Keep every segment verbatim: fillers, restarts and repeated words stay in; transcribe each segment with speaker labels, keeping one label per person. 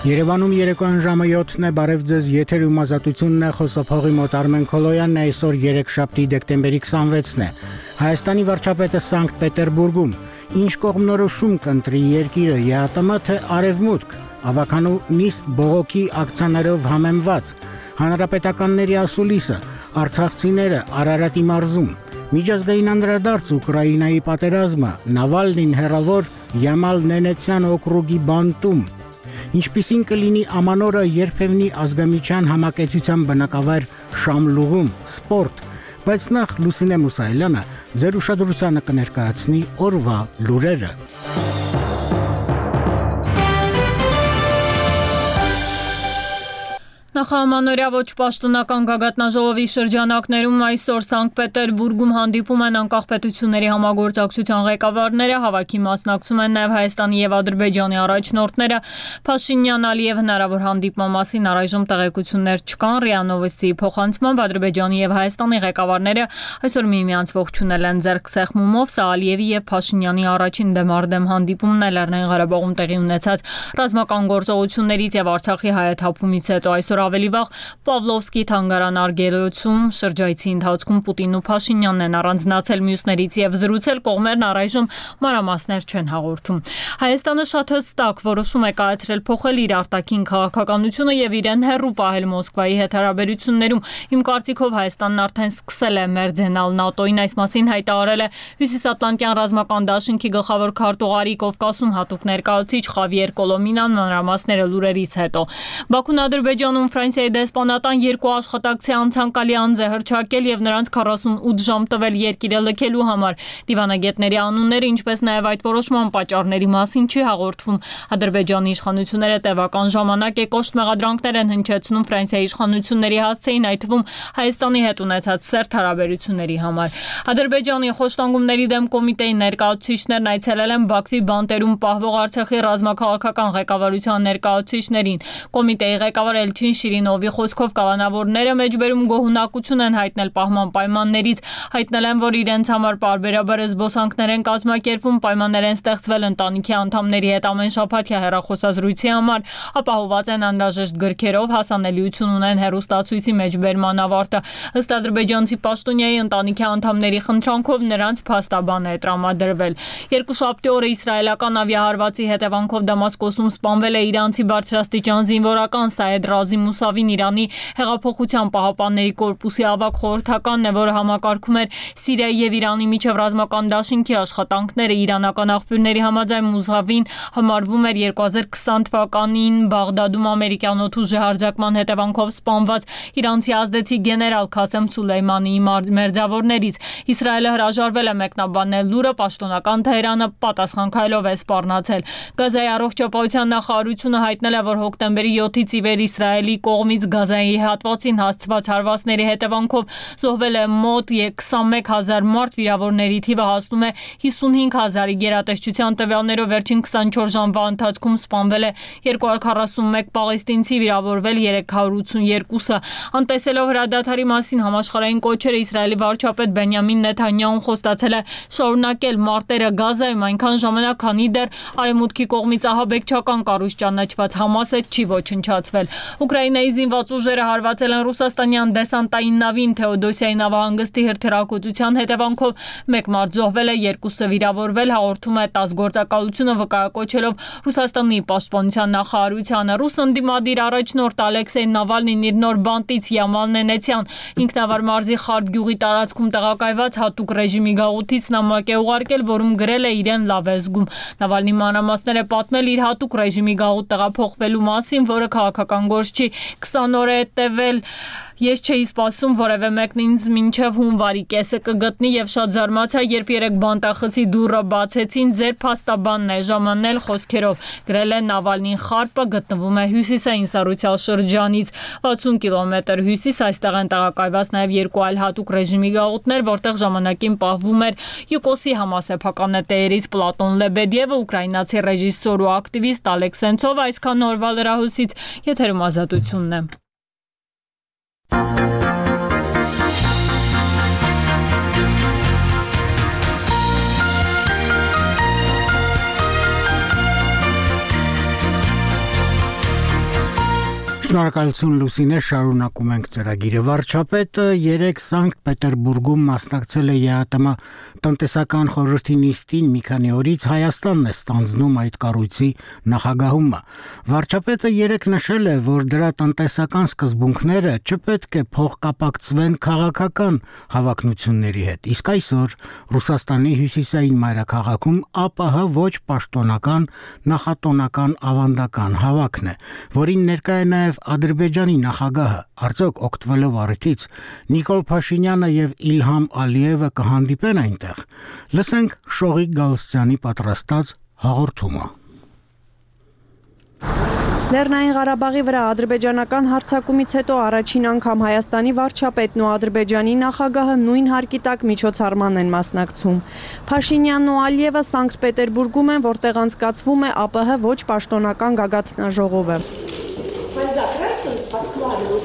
Speaker 1: Երևանում երեկոյան ժամը յոթն է, բարև ձեզ, եթերում ազատությունն է, խոսափողի մոտ Արմեն Քոլոյանն է, այսօր երեքշաբթի դեկտեմբերի քսանվեցն է։ Հայաստանի վարչապետը Սանկտ Պետերբուրգում ինչ կողմնորոշում կընտրի երկիրը, ԵԱՏՄ թե Արևմուտք, ավականու նիստ բողոքի ակցիաներով համեմված, հանրապետականների ասուլիսը, արցախցիները Արարատի մարզում, միջազգային անդրադարձ Ուկրաինայի պատերազմը, Նավալնին հեռավոր Յամալ Նենեցյան օկրուգի բանտում, ինչպիսին կլինի ամանորը երբևնի ազգամիջյան համակեցության բնակավայր Շամլուղում, սպորտ, բայց նախ Լուսինե Մուսայելյանը ձեր ուշադրությանը կներկայացնի օրվա լուրերը։
Speaker 2: Նախամանորյա ոչ պաշտոնական գագաթնաժողովի շրջանակներում այսօր Սանկտ Պետերբուրգում հանդիպում են անկախ պետությունների համագործակցության ղեկավարները, հավաքի մասնակցում են նաև Հայաստանի և Ադրբեջանի առաջնորդները, Փաշինյան-Ալիև հնարավոր հանդիպման մասին առայժմ տեղեկություններ չկան, ՌԻԱ Նովոստիի փոխանցմամբ Ադրբեջանի և Հայաստանի ղեկավարները այսօր միմյանց ողջունել են ձեռք սեղմումով, սա Ալիևի և Փաշինյանի առաջին դեմառդեմ հանդիպումն է Լեռնային Ղարաբաղում տեղի ունեցած ռազմական գործողություններից և Արցախի հայաթափումից հետո այսօր ավելի վաղ Պավլովսկի թանգարան Արգելոցում շրջայցի ընթացքում Պուտինն ու Փաշինյանն են առանձնացել մյուսներից և զրուցել, կողմերն առայժմ մանրամասներ չեն հաղորդում։ Հայաստանը շատ հստակ որոշում է կայացրել փոխել իր արտաքին քաղաքականությունը եւ իրեն հեռու պահել Մոսկվայի հետ հարաբերություններում։ Իմ կարծիքով Հայաստանն արդեն սկսել է մերձենալ ՆԱՏՕ-ին, այս մասին հայտարարել է Հյուսիսատլանտյան ռազմական դաշինքի գլխավոր քարտուղարի Կովկասում հատուկ ներկայացուցիչ Խավիեր Կոլոմինան մանրամասները լուրերից հետո։ Բաքուն Ադրբեջանում Ֆրանսիայի դեսպանատան երկու աշխատակցի անցանկալի անձ է հռչակել եւ նրանց քառասունութ ժամ տվել երկիրը լքելու համար։ Դիվանագետների անունները, ինչպես նաեւ այդ որոշման պատճառների մասին չի հաղորդվում։ Ադրբեջանի իշխանությունները տևական ժամանակ է կոշտ մեղադրանքներ են հնչեցնում Ֆրանսիայի իշխանությունների հասցեին, այդ թվում Հայաստանի հետ ունեցած սերտ հարաբերությունների համար։ Ադրբեջանի խոշտանգումների դեմ կոմիտեի ներկայացուցիչներն այցելել են Բաքվի բանտերում պահվող Արցախի ռազմաքաղաքական ղեկավարության ներկայացուցիչներին։ Կոմիտեի ղեկավար Էլչին Շիրինովի խոսքով կալանավորները մեջբերում գոհունակություն են հայտնել պահման պայմաններից, հայտնել են, որ իրենց համար պարբերաբար զբոսանքներ են կազմակերպվում, պայմաններ են ստեղծվել ընտանիքի անդամների հետ ամեն շաբաթյա հեռախոսազրույցի համար, ապահովված են անհրաժեշտ գրքերով, հասանելիություն ունեն հեռուստացույցի մեջբերման ավարտը։ Ըստ ադրբեջանցի պաշտոնյայի ընտանիքի անդամների խնդրանքով նրանց փաստաբան է տրամադրվել։ Երկուշաբթի օրը իսրայելական ավիահարվածի հետևանքով Դամասկոսում սպանվել է իրանցի բարձրաստիճան զինվորական Սայեդ Ռազի Մուսավին, Իրանի հեղափոխության պահապանների կորպուսի ավագ խորհրդականն է, որը համակարգում էր Սիրիայի եւ Իրանի միջև ռազմական դաշինքի աշխատանքները։ Իրանական աղբյուրների համաձայն Մուսավին համարվում էր երկու հազար քսան թվականին Բաղդադում ամերիկյան օդուժի հարձակման հետևանքով սպանված իրանցի ազդեցիկ գեներալ Քասեմ Սուլեյմանիի մերձավորներից։ Իսրայելը հրաժարվել է մեկնաբանել լուրը, պաշտոնական Թեհրանը պատասխան քայլով է սպառնացել։ Գազայի առողջապահության նախարարությունը հայտնել է, որ հոկտեմբերի յոթից ի վեր Իսրայելի կողմից Գազայի հատվածին հասցված հարվածների հետևանքով զոհվել է մոտ քսանմեկ հազար մարդ, վիրավորների թիվը հասնում է հիսունհինգ հազարի, գերատեսչության տվյալներով վերջին քսանչորս ժամվա ընթացքում սպանվել է երկու հարյուր քառասունմեկ պաղեստինցի, վիրավորվել երեք հարյուր ութսուներկուսը։ Անտեսելով հրադադարի մասին համաշխարհային կոչերը, Իսրայելի վարչապետ Բենյամին Նեթանյահուն խոստացել է շարունակել մարտերը Գազայում այնքան ժամանակ, քանի դեռ Արևմուտքի կողմից ահաբեկչական կառույց ճանաչված Համասը չի ոչնչացվել։ Ուկրաինայի զինված ուժերը հարվածել են ռուսաստանյան դեսանտային նավին Թեոդոսիայի նավահանգստի հրթիռակոծության հետևանքով մեկ մարդ զոհվել է, երկուսը վիրավորվել, հաղորդում է ՏԱՍՍ գործակալությունը վկայակոչելով Ռուսաստանի պաշտպանության նախարարությանը։ Ռուս ընդդիմադիր առաջնորդ Ալեքսեյ Նավալնին իր նոր բանտից Յամալ Նենեցյան ինքնավար մարզի Խարբ գյուղի տարածքում տեղակայված հատուկ ռեժիմի գաղութից նամակ է ուղարկել, որում գրել է իրեն լավ է զգում։ Նավալնի մանրամասներ է պատմել իր հատուկ ռեժիմի գաղութ տեղափոխվելու մասին, որը քաղաքական գործ չի, քսան օր է տևել։ Ես չէի սպասում որևէ մեկն ինձ մինչև հունվարի կեսը կգտնի եւ շատ զարմացա, երբ երեք բանտախցի դուռը բացեցին, ձեր փաստաբանն է ժամանել խոսքերով, գրել է Նավալնին։ Խարպը գտնվում է հյուսիսային Սարուցյալ շրջանից վաթսուն կիլոմետր հյուսիս, այստեղ են տեղակայված նաեւ երկու այլ հատուկ ռեժիմի գաղութներ, որտեղ ժամանակին պահվում էր Յուկոսի համասեփականատերերից Պլատոն Լեբեդևը, ուկրաինացի ռեժիսոր ու ակտիվիստ Ալեքս Սենցովը։ Այսքան օրվա լրահոսից, եթերում ազատությունն է։
Speaker 1: Շնորհակալություն Լուսինե, շարունակում ենք ծրագիրը։ Վարչապետը երեկ Սանկտ Պետերբուրգում մասնակցել է ԵԱՏՄ տնտեսական խորհրդի նիստին, մի քանի օրից Հայաստանն է ստանձնում այդ կառույցի նախագահումը։ Վարչապետը երեկ նշել է, որ դրա տնտեսական սկզբունքները չպետք է փոխկապակցվեն քաղաքական հավակնությունների հետ։ Իսկ այսօր Ռուսաստանի հյուսիսային մայրաքաղաքում ԱՊՀ ոչ պաշտոնական նախատոնական ավանդական հավաքն է, որին ներկա է նաև Ադրբեջանի նախագահը, արդյոք օգտվելով առիթից Նիկոլ Փաշինյանը եւ Իլհամ Ալիևը կհանդիպեն այնտեղ։ Լսենք Շողիկ Գալստյանի պատրաստած հաղորդումը։
Speaker 3: Լեռնային Ղարաբաղի վրա ադրբեջանական հարձակումից հետո առաջին անգամ Հայաստանի վարչապետն ու Ադրբեջանի նախագահը նույն հարկի տակ միջոցառման են մասնակցում։ Փաշինյանն ու Ալիևը Սանկտ Պետերբուրգում են, որտեղ անցկացվում է ԱՊՀ ոչ պաշտոնական գագաթնաժողովը։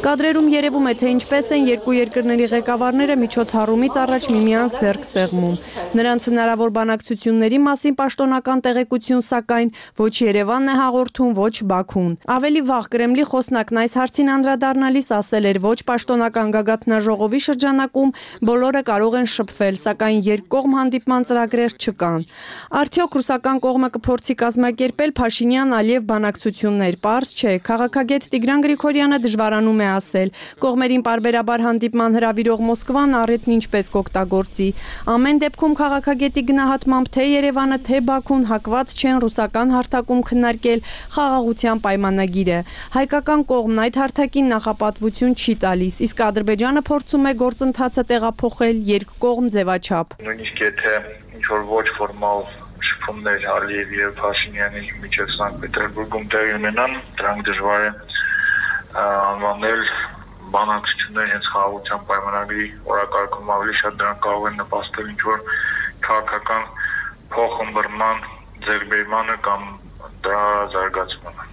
Speaker 3: Կադրերում երևում է, թե ինչպես են երկու երկրների ղեկավարները միջոցառումից առաջ միմյանց ձեռք սեղմում։ Նրանց հնարավոր բանակցությունների մասին պաշտոնական տեղեկություն, սակայն ոչ Երևանն է հաղորդում, ոչ Բաքուն։ Ավելի վաղ Կրեմլի խոսնակն այս հարցին անդրադառնալիս ասել էր, ոչ պաշտոնական գագաթնաժողովի շրջանակում բոլորը կարող են շփվել, սակայն երկկողմ հանդիպման ծրագրեր չկան։ Արդյոք ռուսական կողմը կփորձի կազմակերպել Փաշինյան-Ալիև բանակցություններ, պարզ չէ։ Քաղաքագետ Տիգրան Գրիգորյանը դժվարանում է ասել, կողմերին պարբերաբար հանդիպման հրավիրող Մոսկվան առիթն ինչպես կօգտագործի։ Ամեն դեպքում քաղաքագետի գնահատմամբ թե Երևանը, թե Բաքուն հակված չեն ռուսական հարթակում քննարկել խաղաղության պայմանագիրը։ Հայկական կողմն այդ հարթակին նախապատվություն չի տալիս, իսկ Ադրբեջանը փորձում է գործընթացը տեղափոխել երկկողմ ձևաչափ։
Speaker 4: Նույնիսկ եթե ինչ-որ ոչ ֆորմալ շփումներ Ալիևի եւ Փաշինյանի միջև Սանկտ Պետերբուրգում տեղի ունենան, դրանք դժվար է անվանել բանակցություններ հենց խաղաղության պայմանագրի օրակարգում, ավելի շատ դրանք կարող են նպաստել ինչ-որ քաղաքական փոխըմբռնման ձեռքբերմանը կամ դրա զարգացմանը։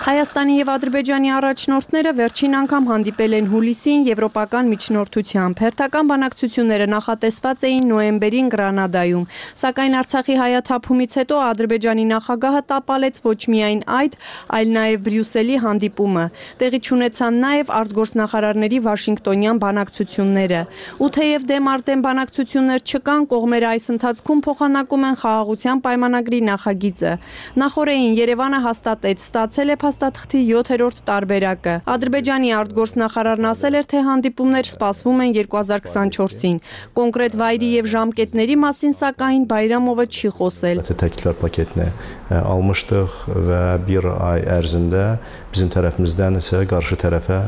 Speaker 3: Հայաստանի եւ Ադրբեջանի առաջնորդները վերջին անգամ հանդիպել են հուլիսին եվրոպական միջնորդությամբ։ Հերթական բանակցությունները նախատեսված էին նոյեմբերին Գրանադայում, սակայն Արցախի հայաթափումից հետո Ադրբեջանի նախագահը տապալեց ոչ միայն այդ, այլ նաեւ Բրյուսելի հանդիպումը։ Տեղի չունեցան նաեւ արտգործնախարարների Վաշինգտոնյան բանակցությունները։ Ու թեև դեմ արդեն բանակցություններ չկան, կողմերը այս ընթացքում փոխանակում են խաղաղության պայմանագրի նախագիծը։ Նախորդին Երևանը հաստատեց, ստացել է փաստաթղթի յոթերորդ տարբերակը։ Ադրբեջանի արտգործնախարարն ասել էր, թե հանդիպումներ սպասվում են երկու հազար քսանչորսին։ Կոնկրետ վայրի եւ ժամկետների մասին սակայն Բայրամովը չի խոսել։
Speaker 5: Təkliflər paketini almışdıq və bir ay ərzində bizim tərəfimizdən isə qarşı tərəfə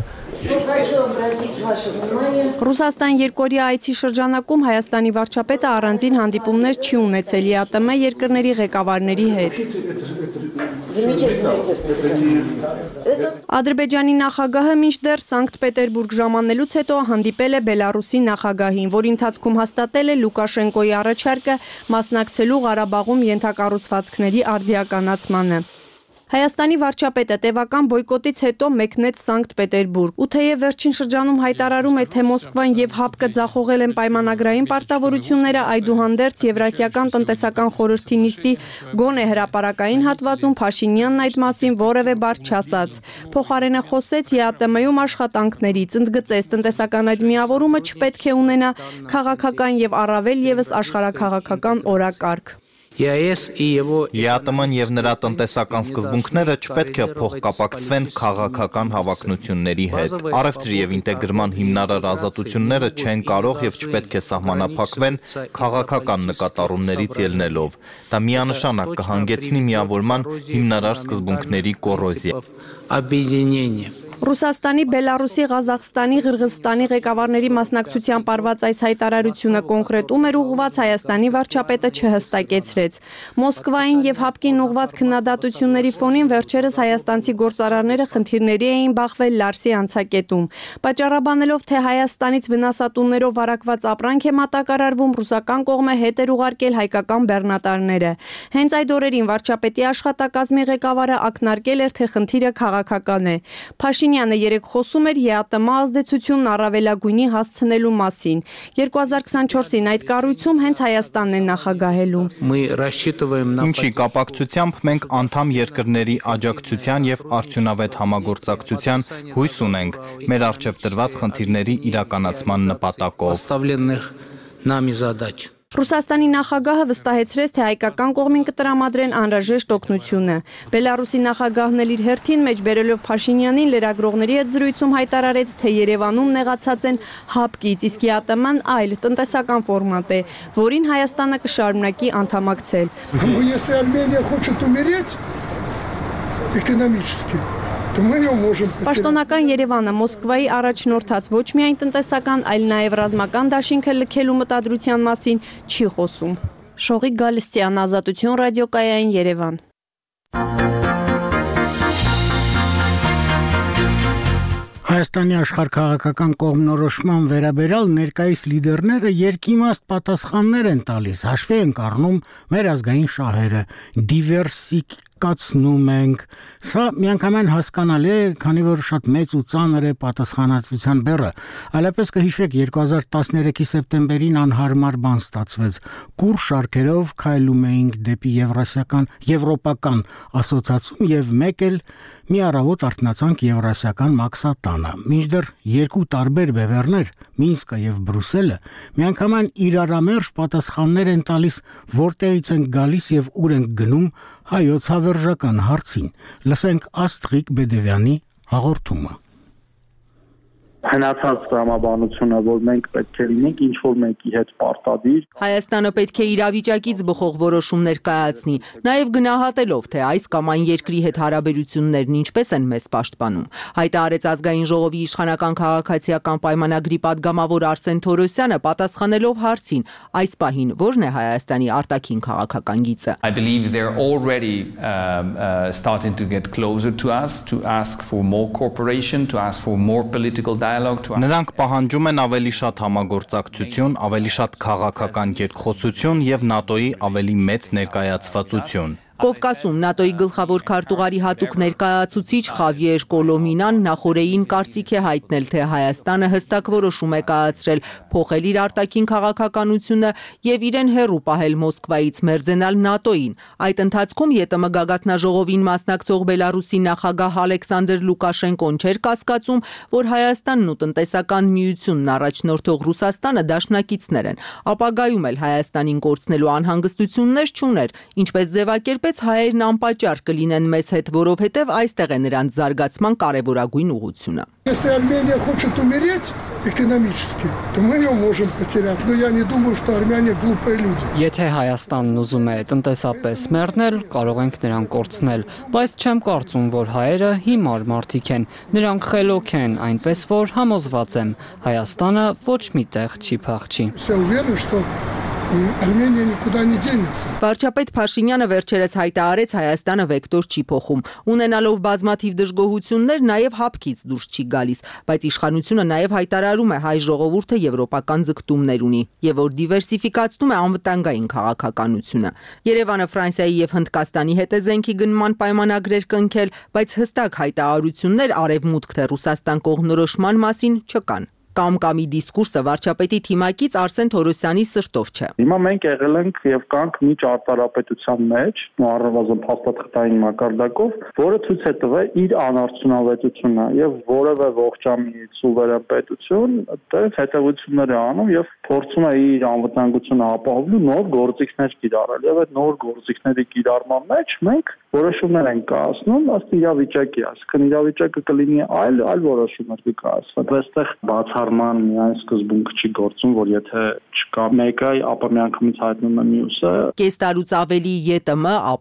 Speaker 3: Ռուսաստան երկօրյա այցի շրջանակում Հայաստանի վարչապետը առանձին հանդիպումներ չի ունեցել ԵԱՏՄ երկրների ղեկավարների հետ։ Ադրբեջանի նախագահը մինչդեռ Սանկտ Պետերբուրգ ժամանելուց հետո հանդիպել է Բելարուսի նախագահին, որի ընթացքում հաստատել է Լուկաշենկոյի առաջարկը մասնակցելու Ղարաբաղում ենթակառուցվածքների արդիականացմանը։ Հայաստանի վարչապետը տևական բոյկոտից հետո մեկնեց Սանկտ Պետերբուրգ։ Ու թեև վերջին շրջանում հայտարարում է, թե Մոսկվան եւ ՀԱՊԿ ձախողել են պայմանագրային պարտավորությունները, այդուհանդերձ Եվրասիական տնտեսական խորհրդի նիստի գոնե հրապարակային հատվածում Փաշինյանն այդ մասին որևէ բառ չասաց։ Փոխարենը խոսեց ԵԱՏՄ-ում աշխատանքներից, ընդգծեց տնտեսական այդ միավորումը չպետք է ունենա քաղաքական եւ առավել եւս աշխարհաքաղաքական օրակարգ։
Speaker 6: ԵԱՏՄ-ն եւ նրա տնտեսական սկզբունքները չպետք է փոխկապակցվեն քաղաքական հավակնությունների հետ։ Առևտրի եւ ինտեգրման հիմնարար ազատությունները չեն կարող եւ չպետք է սահմանափակվեն քաղաքական նկատառումներից ելնելով։ Դա միանշանակ կհանգեցնի միավորման հիմնարար սկզբունքների կոռոզիա։
Speaker 3: Ռուսաստանի, Բելարուսի, Ղազախստանի, Ղրղզստանի ղեկավարների մասնակցությամբ արված այս հայտարարությունը կոնկրետում էր ուղղված Հայաստանի վարչապետը չհստակեցրեց։ Մոսկվային եւ ՀԱՊԿ-ին ուղղված քննադատությունների ֆոնին վերջերս հայաստանցի գործարարները խնդիրների էին բախվել Լարսի անցակետում, պատճառաբանելով, թե Հայաստանից վնասատուներով վարակված ապրանք է մատակարարվում, ռուսական կողմը հետ էր ուղարկել հայկական բեռնատարները։ Հենց այդ օրերին վարչապետի աշխատակազմի ղեկավարը ակնարկել էր, թե խնդիրը քաղաքական է։ Փաշինյանը Փաշինյանը երեկ խոսում էր ԵԱՏՄ ազդեցությունն առավելագույնի հասցնելու մասին։ երկու հազար քսանչորսին այդ կառույցում հենց Հայաստանն է նախագահելու։
Speaker 6: Ինչի կապակցությամբ մենք անդամ երկրների աջակցության եւ արդյունավետ համագործակցության հույս ունենք մեր առջեւ դրված խնդիրների իրականացման նպատակով։
Speaker 3: Ռուսաստանի նախագահը վստահեցրեց, թե հայկական կողմին կտրամադրեն անհրաժեշտ օգնությունը։ Բելարուսի նախագահն էլ իր հերթին մեջ բերելով Փաշինյանին լրագրողների հետ զրույցում հայտարարեց, թե Երևանում նեղացած են հապկից, իսկ ԵԱՏՄ-ն այլ տնտեսական ֆորմատ է, որին Հայաստանը կշարունակի անդամակցել։ Պաշտոնական Երևանը Մոսկվայի առաջնորդած ոչ միայն տնտեսական, այլ նաև ռազմական դաշինքը լքելու մտադրության մասին չի խոսում։ Շողիկ Գալստյան, Ազատություն ռադիոկայային, Երևան։
Speaker 1: Հայաստանի աշխարհքաղաքական կողմնորոշման վերաբերյալ ներկայիս լիդերները երկիմաստ պատասխաններ են տալիս, հաշվի են առնում մեր ազգային շահերը, դիվերսիֆիկացնում ենք։ Սա միանգամայն հասկանալի է, քանի որ շատ մեծ ու ծանր է պատասխանատվության բեռը։ Այլապես կհիշեք երկու հազար տասներեքի սեպտեմբերին անհարմար բան ստացվեց։ Կուր շարքերով քայլում էինք դեպի Եվրասիական Եվրոպական ասոցիացիում եւ մեկ էլ մի առավոտ արթնացանք Եվրասիական մաքսատանը։ Մինչդեռ երկու տարբեր բևեռներ, Մինսկը եւ Բրյուսելը, միանգամայն իրարամերժ պատասխաններ են տալիս, որտեղից են գալիս եւ ուր են գնում հայոց հավերժական հարցին։ Լսենք Աստղիկ Բեդևյանի հաղորդումը։
Speaker 7: Հնացած տրամաբանությունը, որ մենք պետք է լինենք ինչ որ մեկի հետ պարտադիր։
Speaker 8: Հայաստանը պետք է իրավիճակից բխող որոշումներ կայացնի, նաև գնահատելով, թե այս կամ այն երկրի հետ հարաբերություններն ինչպես են մեզ պաշտպանում։ Հայտարարեց ազգային ժողովի իշխանական քաղաքացիական պայմանագրի падգամավոր Արսեն Թորոսյանը, պատասխանելով հարցին, այս պահին ո՞րն է Հայաստանի արտաքին քաղաքական գիծը։
Speaker 9: I believe they're already um, uh, starting to get closer to us, to ask for more cooperation, to ask for more political dialogue.
Speaker 6: Նրանք պահանջում են ավելի շատ համագործակցություն, ավելի շատ քաղաքական երկխոսություն եւ ՆԱՏՕ-ի ավելի մեծ ներկայացվածություն։
Speaker 8: Կովկասում ՆԱՏՕ-ի գլխավոր քարտուղարի հատուկ ներկայացուցիչ Խավիեր Կոլոմինան նախորդին կարծիք է հայտնել, թե Հայաստանը հստակ որոշում է կայացրել փոխել իր արտաքին քաղաքականությունը եւ իրեն հեռու պահել Մոսկվայից մերձենալ ՆԱՏՕ-ին։ Այդ ընթացքում ԵՏՄ գագաթնաժողովին մասնակցող Բելարուսի նախագահ Ալեքսանդր Լուկաշենկոն չէր կասկածում, որ Հայաստանն ու տնտեսական միությունն առաջնորդող Ռուսաստանը դաշնակիցներ են։ Ապագայում էլ Հայաստանին կորցնելու անհանգստություններ չուներ, ինչպես ձևակերպ հայերն անպատճառ կլինեն մեզ հետ, որովհետև այստեղ է նրանց զարգացման կարևորագույն ուղղությունը։
Speaker 10: Если Армения хочет умереть экономически, то мы ее можем потерять, но я не думаю, что армяне глупые люди.
Speaker 11: Եթե Հայաստանն ուզում է տնտեսապես մեռնել, կարող ենք նրան կորցնել, բայց չեմ կարծում, որ հայերը հիմար մարդիկ են, նրանք խելոք են, այնպես որ համոզված եմ, Հայաստանը ոչ մի տեղ չի փախչի։
Speaker 10: Я уверен, что Արմենիան никуда не денется։
Speaker 8: Վարչապետ Փաշինյանը վերջերս հայտարարեց Հայաստանը վեկտոր չի փոխում, ունենալով բազմաթիվ դժգոհություններ նաև հապկից դուրս չի գալիս, բայց իշխանությունը նաև հայտարարում է հայ ժողովուրդը եվրոպական ձգտումներ ունի եւ որ դիվերսիֆիկացնում է անվտանգային քաղաքականությունը։ Երևանը Ֆրանսիայի եւ Հնդկաստանի հետ է զենքի գնման պայմանագրեր կնքել, բայց հստակ հայտարարություններ արևմուտք թե Ռուսաստան կողմնորոշման մասին չկան։ Կամ-կամի դիսկուրսը վարչապետի թիմակից Արսեն Թորոսյանի սրտով չէ։
Speaker 7: Հիմա մենք եղել ենք եւ կանք մի ճարտարապետության մեջ, ու առնվազն փաստաթղթային մակարդակով, որը ցույց է տվել իր անարդյունավետությունը եւ որևէ ողջամի սուվերեն պետություն դեռ հետևություններ է անում եւ փորձում է իր անվտանգությունը ապահովելու նոր գործիքներ կիրառել եւ այդ նոր գործիքների կիրառման մեջ մենք որոշումներ են կայացնում ըստ իրավիճակի, այսինքն իրավիճակը կլինի այլ այլ որոշումներ կկայացվեն։ Այստեղ բացառման միայն սկզբունք չի գործում, որ եթե չկա մեկը, ապա միանգամից հայտնում է մյուսը։
Speaker 8: Կես տարուց ավելի ԵՏՄ,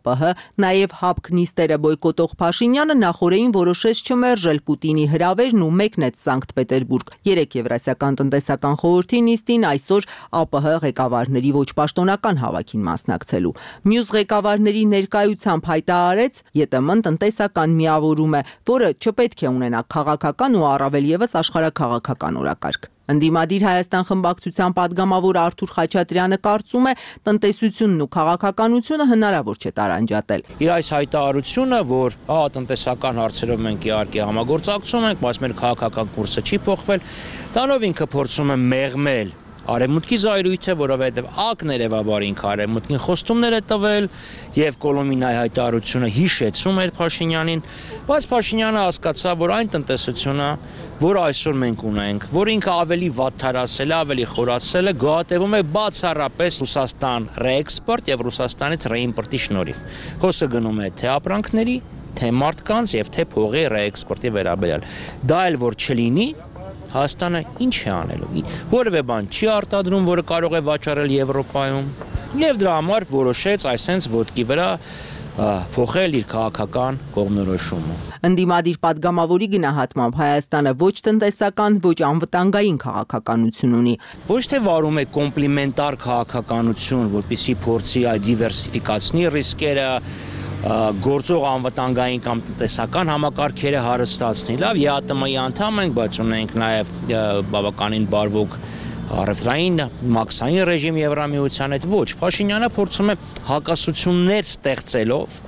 Speaker 8: ԱՊՀ, նաև ՀԱՊԿ նիստերը բոյկոտող Փաշինյանը նախորդին որոշեց չմերժել Պուտինի հրավերն ու մեկնեց Սանկտ Պետերբուրգ։ Երեք Եվրասիական տնտեսական խորհրդի նիստին այսօր ԱՊՀ ղեկավարների ոչ պաշտոնական հավաքին մասնակցելու։ Մյուս ղեկավարների ներկայությամբ հայտարարեց ԵՏՄ-ն տնտեսական միավորում է, որը չպետք է ունենա քաղաքական ու առավել եւս աշխարհաքաղաքական օրակարգ։ Ընդդիմադիր Հայաստան խմբակցության падգամավոր Արթուր Խաչատրյանը կարծում է, տնտեսությունն ու քաղաքականությունը հնարավոր չէ տարանջատել։
Speaker 12: Իր այս հայտարարությունը, որ հա տնտեսական հարցերով մենք իհարկե համագործակցում ենք, բայց մեր քաղաքական կուրսը չի փոխվել, դրանով ինքը փորձում է մեղմել Արևմուտքի զայրույթը, որովհետև ակներևաբար ինքը Արևմուտքին խոստումներ է տվել եւ Կոլոմինայի հայտարարությունը հիշեցում էր Փաշինյանին, բայց Փաշինյանը հասկացավ, որ այն տնտեսությունը, որ այսօր մենք ունենք, որ ինքը ավելի վատթարացել է, ավելի խորացել է, գոհատևում է բացառապես Ռուսաստան ռեէքսպորտ եւ Ռուսաստանից ռեիմպորտի շնորհիվ։ Խոսքը գնում է թե ապրանքների, թե մարդկանց եւ թե փողի ռեէքսպորտի վերաբերյալ։ Դա էլ որ չլինի, Հայաստանը ինչ է անելու, որևէ բան չի արտադրում, որը կարող է վաճառել Եվրոպայում, եւ դրա համար որոշեց այսենց ոտքի վրա փոխել իր քաղաքական կողմնորոշումը։
Speaker 8: Ընդդիմադիր падգամավորի գնահատմամբ Հայաստանը ոչ տնտեսական, ոչ անվտանգային քաղաքականություն ունի։
Speaker 12: Ոչ թե վարում է կոմպլիմենտար քաղաքականություն, որպեսզի փորձի այդ դիվերսիֆիկացնի ռիսկերը, գործող անվտանգային կամ տնտեսական համակարգերը հարստացնի։ Լավ, ԵԱՏՄ-ի անդամ ենք, բայց ունենք նաև բավականին բարվոք առևտրային մաքսային ռեժիմ Եվրամիության հետ ոչ։ Փաշինյանը փորձում է հակասություններ ստեղծելով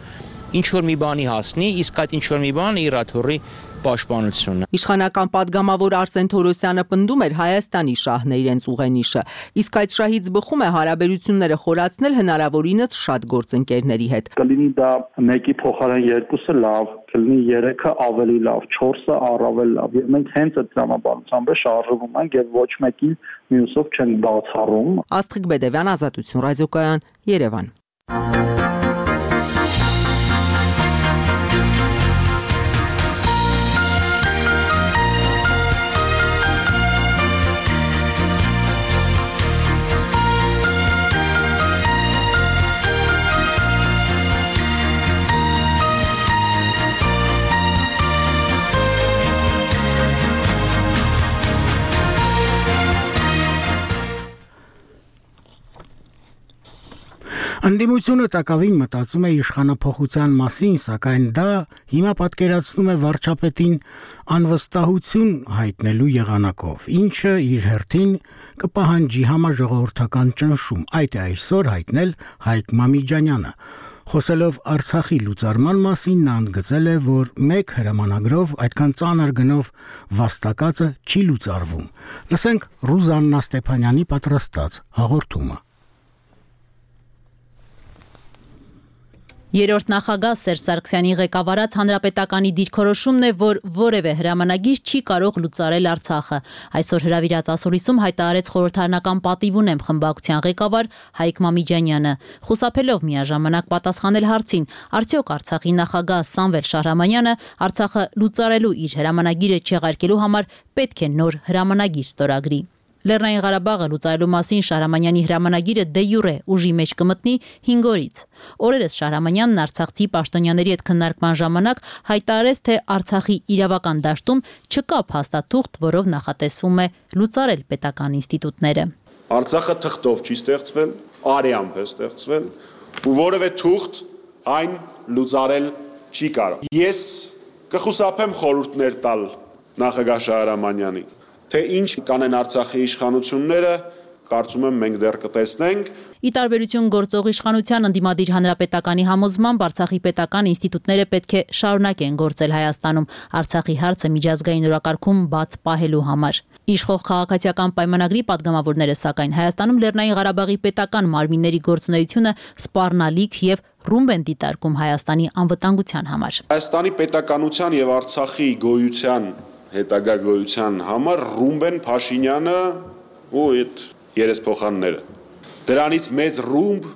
Speaker 12: ինչ որ մի բանի հասնի, իսկ այդ ինչ որ մի բանը Իրաթորի պաշտպանությունն է։
Speaker 8: Իշխանական падգամավոր Արսեն Թորոսյանը պնդում էր Հայաստանի շահն է իրենց ուղենիշը, իսկ այդ շահից բխում է հարաբերությունները խորացնել հնարավորինս շատ գործընկերների հետ։
Speaker 7: Կլինի դա մեկի փոխարեն երկուսը լավ, կլինի երեքը ավելի լավ, չորսը առավել լավ։ Եվ մենք հենց այդ տրամաբանությամբ շարժվում ենք եւ ոչ մեկին մյուսով չենք բացառում։
Speaker 8: Աստղիկ Բեդևյան, Ազատություն ռադիոկայան, Երևան։
Speaker 1: Ընդդիմությունը տակավին մտածում է իշխանափոխության մասին, սակայն դա հիմա պատկերացնում է վարչապետին անվստահություն հայտնելու եղանակով, ինչը իր հերթին կպահանջի համաժողովրդական ճնշում, այդ է այսօր հայտնել Հայկ Մամիջանյանը։ Խոսելով Արցախի լուծարման մասին, նա ընդգծել է, որ մեկ հրամանագրով այդքան ծանր գնով վաստակածը չի լուծարվում։ Լսենք Ռուզաննա Ստեփանյանի պատրաստած հաղորդումը։
Speaker 13: Երրորդ նախագահ Սերժ Սարգսյանի ղեկավարած հանրապետականի դիրքորոշումն է, որ որևէ հրամանագիր չի կարող լուծարել Արցախը։ Այսօր հրավիրած ասուլիսում հայտարարեց խորհրդարանական պատիվ ունեմ խմբակցության ղեկավար Հայկ Մամիջանյանը, խուսափելով միաժամանակ պատասխանել հարցին, արդյոք Արցախի նախագահ Սամվել Շահրամանյանը Արցախը լուծարելու իր հրամանագիրը չեղարկելու համար պետք է նոր հրամանագիր ստորագրի։ Լեռնային Ղարաբաղը լուծարելու մասին Շահրամանյանի հրամանագիրը դե յուրե ուժի մեջ կմտնի հինգ օրից։ Օրերս Շահրամանյանն արցախցի պաշտոնյաների հետ քննարկման ժամանակ հայտարարեց, թե Արցախի իրավական դաշտում չկա փաստաթուղթ, որով նախատեսվում է լուծարել պետական ինստիտուտները։
Speaker 14: Արցախը թղթով չի ստեղծվել, արեամբ է ստեղծվել, ու որևէ թուղթ այն լուծարել չի կարող։ Ես կխուսափեմ խորհուրդներ տալ նախագահ Շահրամանյանին, թե ինչ կանեն Արցախի իշխանությունները, կարծում եմ մենք դեռ կտեսնենք։
Speaker 13: Ի տարբերություն գործող իշխանության ընդդիմադիր հանրապետականի համոզմամբ Արցախի պետական ինստիտուտները պետք է շարունակեն գործել Հայաստանում Արցախի հարցը միջազգային օրակարգում բաց պահելու համար։ Իշխող քաղաքացիական պայմանագրի падգամավորները սակայն Հայաստանում Լեռնային Ղարաբաղի պետական մարմինների գործունեությունը սպառնալիք եւ ռումբ են դիտարկում Հայաստանի անվտանգության համար։
Speaker 14: Հայաստանի պետականության եւ Արցախի գոյության հետագա գոյության համար ռումբ են Փաշինյանը ու այդ երեսփոխանները։ Դրանից մեծ ռումբ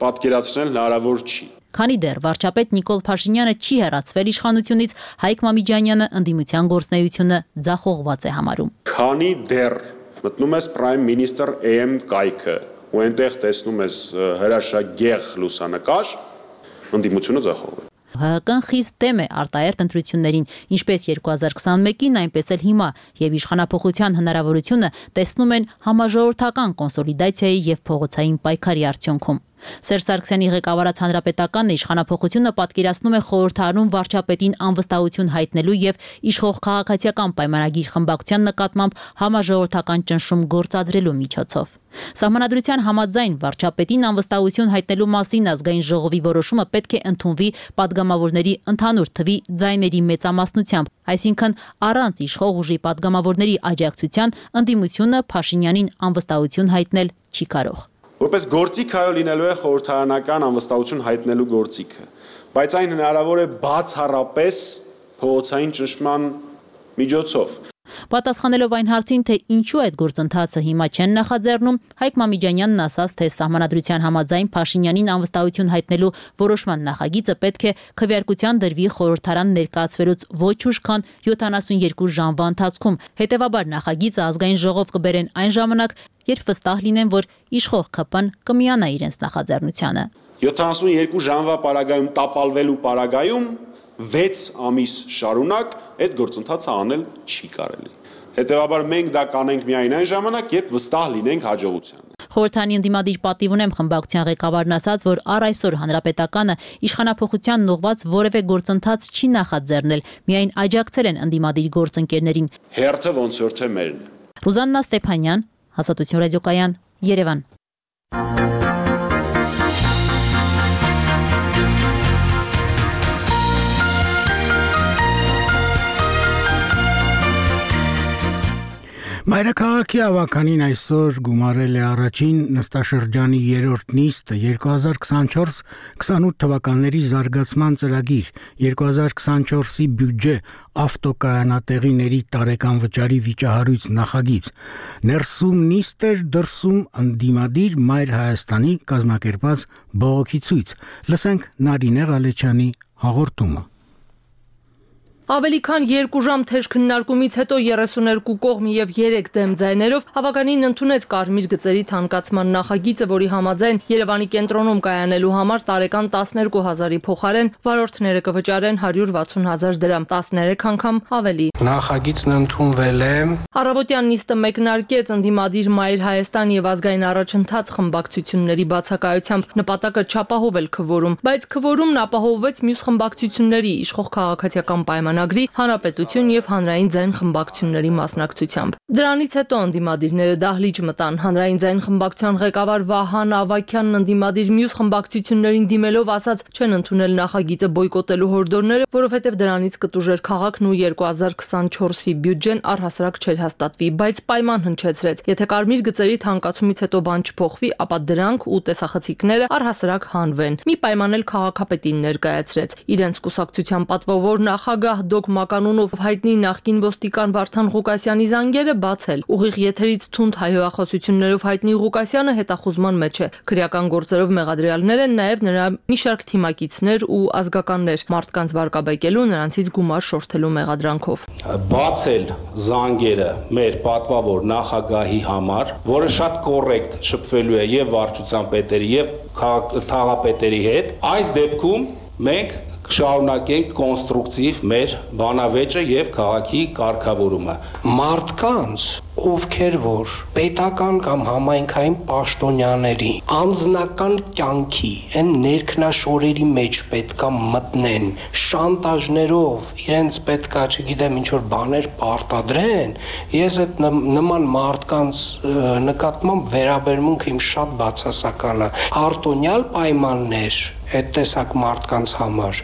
Speaker 14: պատկերացնել հնարավոր չի։
Speaker 13: Քանի դեռ վարչապետ Նիկոլ Փաշինյանը չի հեռացվել իշխանությունից, Հայկ Մամիջանյանը ընդդիմության գործունեությունը ձախողված է համարում։
Speaker 14: Քանի դեռ մտնում ես Prime Minister A M կայքը ու այնտեղ տեսնում ես հրաշագեղ լուսանկար, ընդդիմությունը ձախողվել է։
Speaker 13: ՀՀԿ-ն խիստ դեմ է արտահերթ ընտրություններին, ինչպես երկու հազար քսանմեկին, այնպես էլ հիմա, եւ իշխանափոխության հնարավորությունը տեսնում են համաժողովրդական կոնսոլիդացիայի եւ փողոցային պայքարի արդյունքում։ Սերժ Սարգսյանի ղեկավարած հանրապետականն իշխանափոխությունը պատկերացնում է խորհրդարանում վարչապետին անվստահություն հայտնելու եւ իշխող քաղաքացիական պայմանագիր խմբակցության նկատմամբ համաժողովրդական ճնշում գործադրելու միջոցով։ Սահմանադրության համաձայն վարչապետին անվստահություն հայտնելու մասին ազգային ժողովի որոշումը պետք է ընդունվի падգամավորների ընդհանուր թվի ձայների մեծամասնությամբ, այսինքն առանց իշխող ուժի падգամավորների աջակցության ընդդիմությունը Փաշինյանին անվստահություն հայտնել չի կարող։
Speaker 14: Որպես գործիք այո լինելու է խորհրդարանական անվստահություն հայտնելու գործիքը, բայց այն հնարավոր է բացառապես փողոցային ճնշման միջոցով։
Speaker 13: Պատասխանելով այն հարցին, թե ինչու այդ գործընթացը հիմա չեն նախաձեռնում, Հայկ Մամիջանյանն ասաց, թե սահմանադրության համաձայն Փաշինյանին անվստահություն հայտնելու որոշման նախագիծը պետք է քվեարկության դրվի խորհրդարան ներկայացվելուց ոչ ուշ, քան յոթանասունյերկու ժամվա ընթացքում։ Հետևաբար նախագիծը ազգային ժողով կբերեն այն ժամանակ, երբ վստահ լինեն, որ իշխող ՔՊ-ն կմիանա իրենց նախաձեռնությանը։
Speaker 14: յոթանասունյերկու ժամվա պարագայում տապալվելու պարագայում վեց ամիս շարունակ այդ գործընթացը անել չի կարելի։ Հետևաբար մենք դա կանենք միայն այն ժամանակ, երբ վստահ լինենք հաջողությանը։
Speaker 13: Խորհրդարանի ընդդիմադիր պատիվ ունեմ խմբակցության ղեկավարն ասաց, որ առ այսօր հանրապետականը իշխանափոխությանն ուղղված որևէ գործընթաց չի նախաձեռնել, միայն աջակցել են ընդդիմադիր գործընկերներին։
Speaker 14: Հերթը ոնց որ թե մերն։
Speaker 13: Ռուզաննա Ստեփանյան, Հաստատություն ռադիոկայան, Երևան։
Speaker 1: Մայրաքաղաքի ավականին այսօր գումարել է առաջին նստաշրջանի երրորդ նիստը երկու հազար քսանչորս քսանութ թվականների զարգացման ծրագիր, երկու հազար քսանչորսի բյուջե, ավտոկայանատեղիների տարեկան վճարի վիճահարույց նախագիծ։ Ներսում նիստ էր, դրսում ընդդիմադիր Մայր Հայաստանի կազմակերպած բողոքի ցույց։ Լսենք Նարինե Ղալեչյանի հաղորդումը։
Speaker 15: Ավելի քան երկու ժամ թեժ քննարկումից հետո երեսուներկու կողմի եւ երեք դեմ ձայներով հավականին ընդունեց կարմիր գծերի թանկացման նախագիծը, որի համաձայն Երևանի կենտրոնում կայանելու համար տարեկան տասներկու հազարի փոխարեն վարորդները կվճարեն հարյուր վաթսուն հազար դրամ, տասներեք անգամ ավելի։
Speaker 16: Նախագիծն ընդունվել է։
Speaker 15: Առավոտյան նիստը մեկնարկեց ընդդիմադիր Մայր Հայաստան եւ ազգային առաջընթաց խմբակցությունների բացակայությամբ, նպատակը չապահովել քվորում, բայց քվորումն ապահովվեց մյուս խմբակցությունների իշխող քաղաքացիական պայմանագրի, Հանրապետություն եւ հանրային ձայն խմբակցությունների մասնակցությամբ։ Դրանից հետո ընդդիմադիրները դահլիճ մտան։ Հանրային ձայն խմբակցության ղեկավար Վահան Ավագյանն ընդդիմադիր մյուս խմբակցություններին դիմելով ասաց, չեն ընդունել նախագիծը բոյկոտելու հորդորները, որովհետեւ դրանից կտուժեր քաղաքն ու երկու հազար քսանչորսի բյուջեն առհասարակ չէր հաստատվի, բայց պայման հնչեցրեց, եթե կարմիր գծերի թանկացումից հետո բան չփոխվի, ապա դրանք ու տեսախցիկները առհասարակ հանվեն։ Մի պայման էլ քաղաքապետին ներկայացրեց։ Իրենց կուսակցության պատվավոր նախագահ Դոկ Մականունով հայտնի նախկին ոստիկան Վարդան Ղուկասյանի զանգերը բացել։ Ուղիղ եթերից թունդ հայհոախոսություններով հայտնի Ղուկասյանը հետախուզման մեջ է։ Քրեական գործերով մեղադրյալներ են նաև նրա մի շարք թիմակիցներ ու ազգականներ, մարդկանց վարկաբեկելու, նրանցից գումար շորթելու մեղադրանքով։
Speaker 17: Բացել զանգերը մեր պատվավոր նախագահի համար, որը շատ կոռեկտ շփվելու է եւ վարչության պետերի եւ թաղապետերի հետ, այս դեպքում մենք կշարունակենք կոնստրուկտիվ մեր բանավեճը եւ քաղաքի կարգավորումը։
Speaker 16: Մարդկանց, ովքեր որ պետական կամ համայնքային պաշտոնյաների անձնական կյանքի այն ներքնաշորերի մեջ պետքա մտնեն, շանտաժներով իրենց պետքա, չգիտեմ, ինչ որ բաներ պարտադրեն, ես այդ նման մարդկանց նկատմամբ վերաբերմունքը իմ շատ բացասական է։ Արտոնյալ պայմաններ այդ տեսակ մարդկանց համար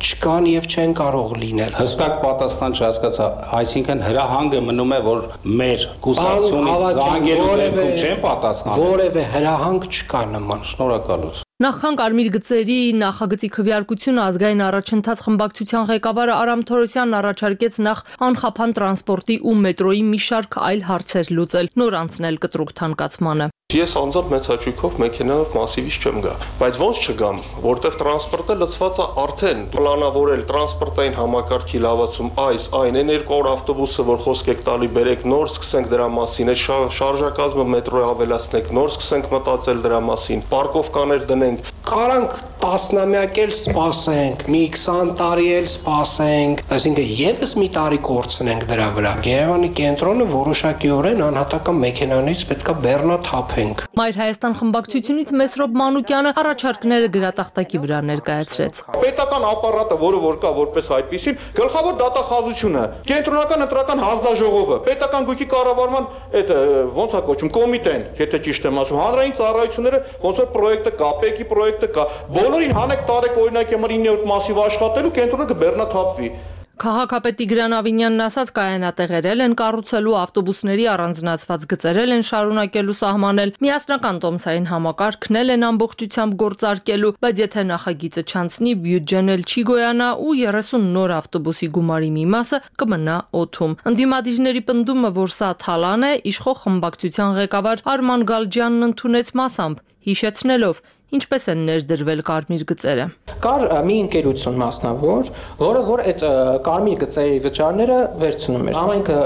Speaker 16: չկան եւ չեն կարող լինել։
Speaker 17: Հստակ պատասխան չհասկացա, այսինքն հրահանգը մնում է, որ մեր կուսակցությունից զանգելու դեպքում չեն պատասխանել։
Speaker 16: Որևէ հրահանգ չկա նման։
Speaker 17: Շնորհակալություն։
Speaker 15: Նախքան կարմիր գծերի նախագծի քվեարկությունը ազգային առաջընթաց խմբակցության ղեկավարը Արամ Թորոսյանն առաջարկեց նախ անխափան տրանսպորտի ու մետրոյի մի շարք այլ հարցեր լուծել, նոր անցնել կտրուկ թանկացմանը։
Speaker 18: Ես անձամբ մեծ հաճույքով մեքենայով մասիվից չեմ գա, բայց ոնց չգամ, որտեղ տրանսպորտը լցված է արդեն պլանավորել տրանսպորտային համակարգի լավացում, այս այն է երկու օր ավտոբուսը, որ խոսք եք տալի, բերեք նոր սկսենք դրա մասին, այդ շարժակազմը մետրոյի ավելացնենք, նոր սկսենք մտածել դրա մասին, պարկովկաներ դնենք,
Speaker 16: Կարանք տասնամյակ էլ սպասենք, մի քսան տարի էլ սպասենք, այսինքն եւս մի տարի կորցնենք դրա վրա։ Երևանի կենտրոնը որոշակիորեն անհատական մեքենաներից պետքա բեռնաթափենք։
Speaker 15: Մայր Հայաստան խմբակցությունից Մեսրոպ Մանուկյանը առաջարկները գրատախտակի վրա ներկայացրեց։
Speaker 18: Պետական ապարատը, որը որ կա որպես այդպեսին, գլխավոր դատախազությունը, կենտրոնական ընտրական հանձնաժողովը, պետական գույքի կառավարման այդ ոնց է կոչում կոմիտեն, եթե ճիշտ եմ ասում, հանրային ծառայությունները, ոնց որ պրոյեկտը կա, ՊԵԿ-ի պրոյեկտը կա, բոլորին հանեք տարեք օրինակ համար իններորդ մասիվ աշխատելու, կենտրոնը կբեռնաթափվի։
Speaker 15: Քաղաքապետի Գրան Ավինյանն ասաց, կայանատեղերել են կառուցելու ավտոբուսների առանձնացված գծերել են շարունակելու սահմանել, միասնական տոմսային համակարգն են ամբողջությամբ գործարկելու, բայց եթե նախագիծը չանցնի, բյուջեն էլ չի գոյանա ու երեսուն նոր ավտոբուսի գումարի մի մասը կմնա օդում։ Ընդդիմադիրների պնդումը, որ սա թալան է, իշխող խմբակցության ղեկավար Արման Գալջյանն ընդունեց մասամբ, հիշեցնելով ինչպես են ներդրվել կարմիր գծերը։
Speaker 16: Կար մի ընկերություն մասնավոր, որը որ այդ կարմիր գծերի վճարները վերցնում էր։ Համայնքը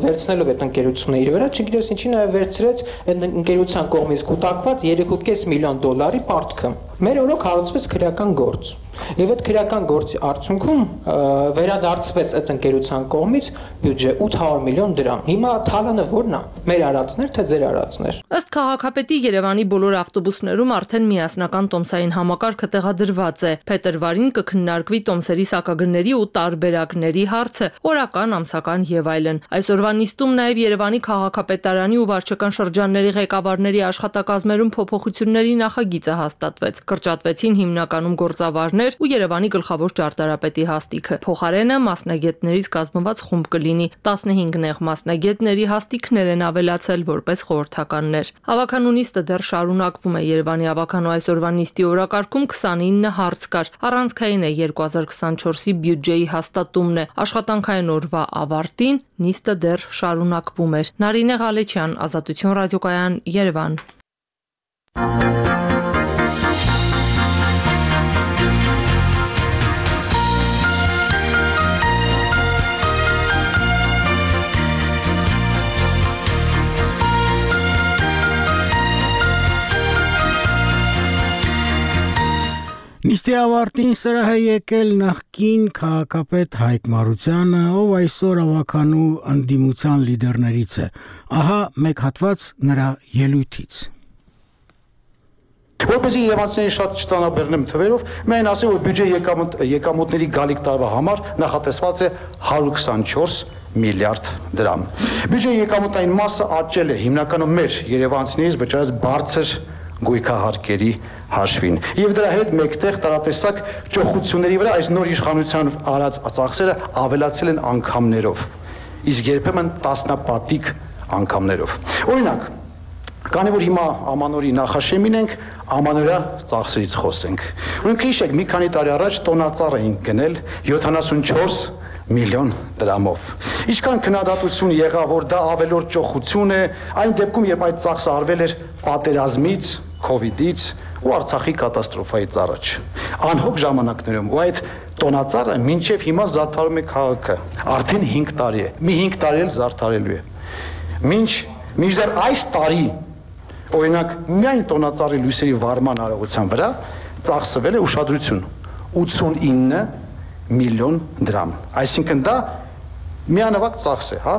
Speaker 16: վերցնելով այդ ընկերությունը իր վրա, չգիտես ինչի նաև վերցրեց այդ ընկերության կողմից կուտակված երեք կόμμα պենս միլիոն դոլարի պարտքը։ Մեր օրոք հարուցվեց քրեական գործ։ Եվ այդ քրեական գործի արդյունքում վերադարձվեց այդ ընկերության կողմից բյուջե ութ հարյուր միլիոն դրամ։ Հիմա թալանը ո՞րն է։ Մեր արածներ թե ձեր արածներ։
Speaker 15: Ըստ քաղաքապետի Երևանի բոլոր ավտոբուսներում արդեն միասնական տոմսային համակարգը տեղադրված է։ Փետրվարին կքննարկվի տոմսերի սակագների ու տարբերակների հարցը, օրական, ամսական եւ այլն։ Այսօրվա նիստում նաեւ Երևանի քաղաքապետարանի ու վարչական շրջանների ղեկավարների աշխատակազմերում փոփոխությունների նախագիծը հաստատվեց։ Կրճատվեցին հիմնականում գործավարներ ու Երևանի գլխավոր ճարտարապետի հաստիքը։ Փոխարենը մասնագետներից կազմված խումբ կլինի։ տասնհինգ նեղ մասնագետների հաստիքներ են ավելացել որպես խորհրդականներ։ Հավաքանու նիստը դեռ շարունակվում է։ Երևանի հավաքանու այսօրվա նիստի օրակարգում քսանինը հարց կար։ Առանցքային է երկու հազար քսանչորսի բյուջեի հաստատումն է։ Աշխատանքային օրվա ավարտին նիստը դեռ շարունակվում էր։ Նարինե Ղալեչյան, Ազատություն ռադիոկայան, Երևան։
Speaker 1: Նիստի ավարտին սրահ է եկել նախկին քաղաքապետ Հայկ Մարությանը, ով այսօր ավականու ընդդիմության լիդերներից է։ Ահա մեկ հատված նրա ելույթից։
Speaker 19: Որպեսզի երևանցիներին շատ չծանրաբեռնեմ թվերով, միայն ասեմ, որ բյուջե եկամուտների գալիք տարվա համար նախատեսված է հարյուր քսանչորս միլիարդ դրամ։ Բյուջեի եկամուտային մասը աճել է հիմնականում մեր երևանցիներից վճարած բարձր գույքահարկերի հաշվին։ Եվ դրա հետ մեկտեղ տարատեսակ ճոխությունների վրա այս նոր իշխանության արած ծախսերը ավելացել են անգամներով, իսկ երբեմն տասնապատիկ անգամներով։ Օրինակ, քանի որ հիմա ամանորի նախաշեմին ենք, ամանորյա ծախսերից խոսենք։ Օրինակ, հիշեք, մի քանի տարի առաջ տոնածառ էինք գնել յոթանասունչորս միլիոն դրամով։ Ինչքան քննադատություն եղավ, որ դա ավելորդ ճոխություն է, այն դեպքում, երբ այդ ծախսը արվել էր պատերազմից, քովիդից ու Արցախի կատաստրոֆայից առաջ։ Անհոգ ժամանակներում ու այդ տոնածառը մինչև հիմա զարդարում է քաղաքը։ Արդեն հինգ տարի է։ Մի հինգ տարի էլ զարդարելու է։ Մինչ մինչդեռ այս տարի, օրինակ, միայն տոնածառի լույսերի վարման արարողության վրա ծախսվել է ուշադրություն ութսունինը միլիոն դրամ։ Այսինքն դա միանավակ ծախս է, հա,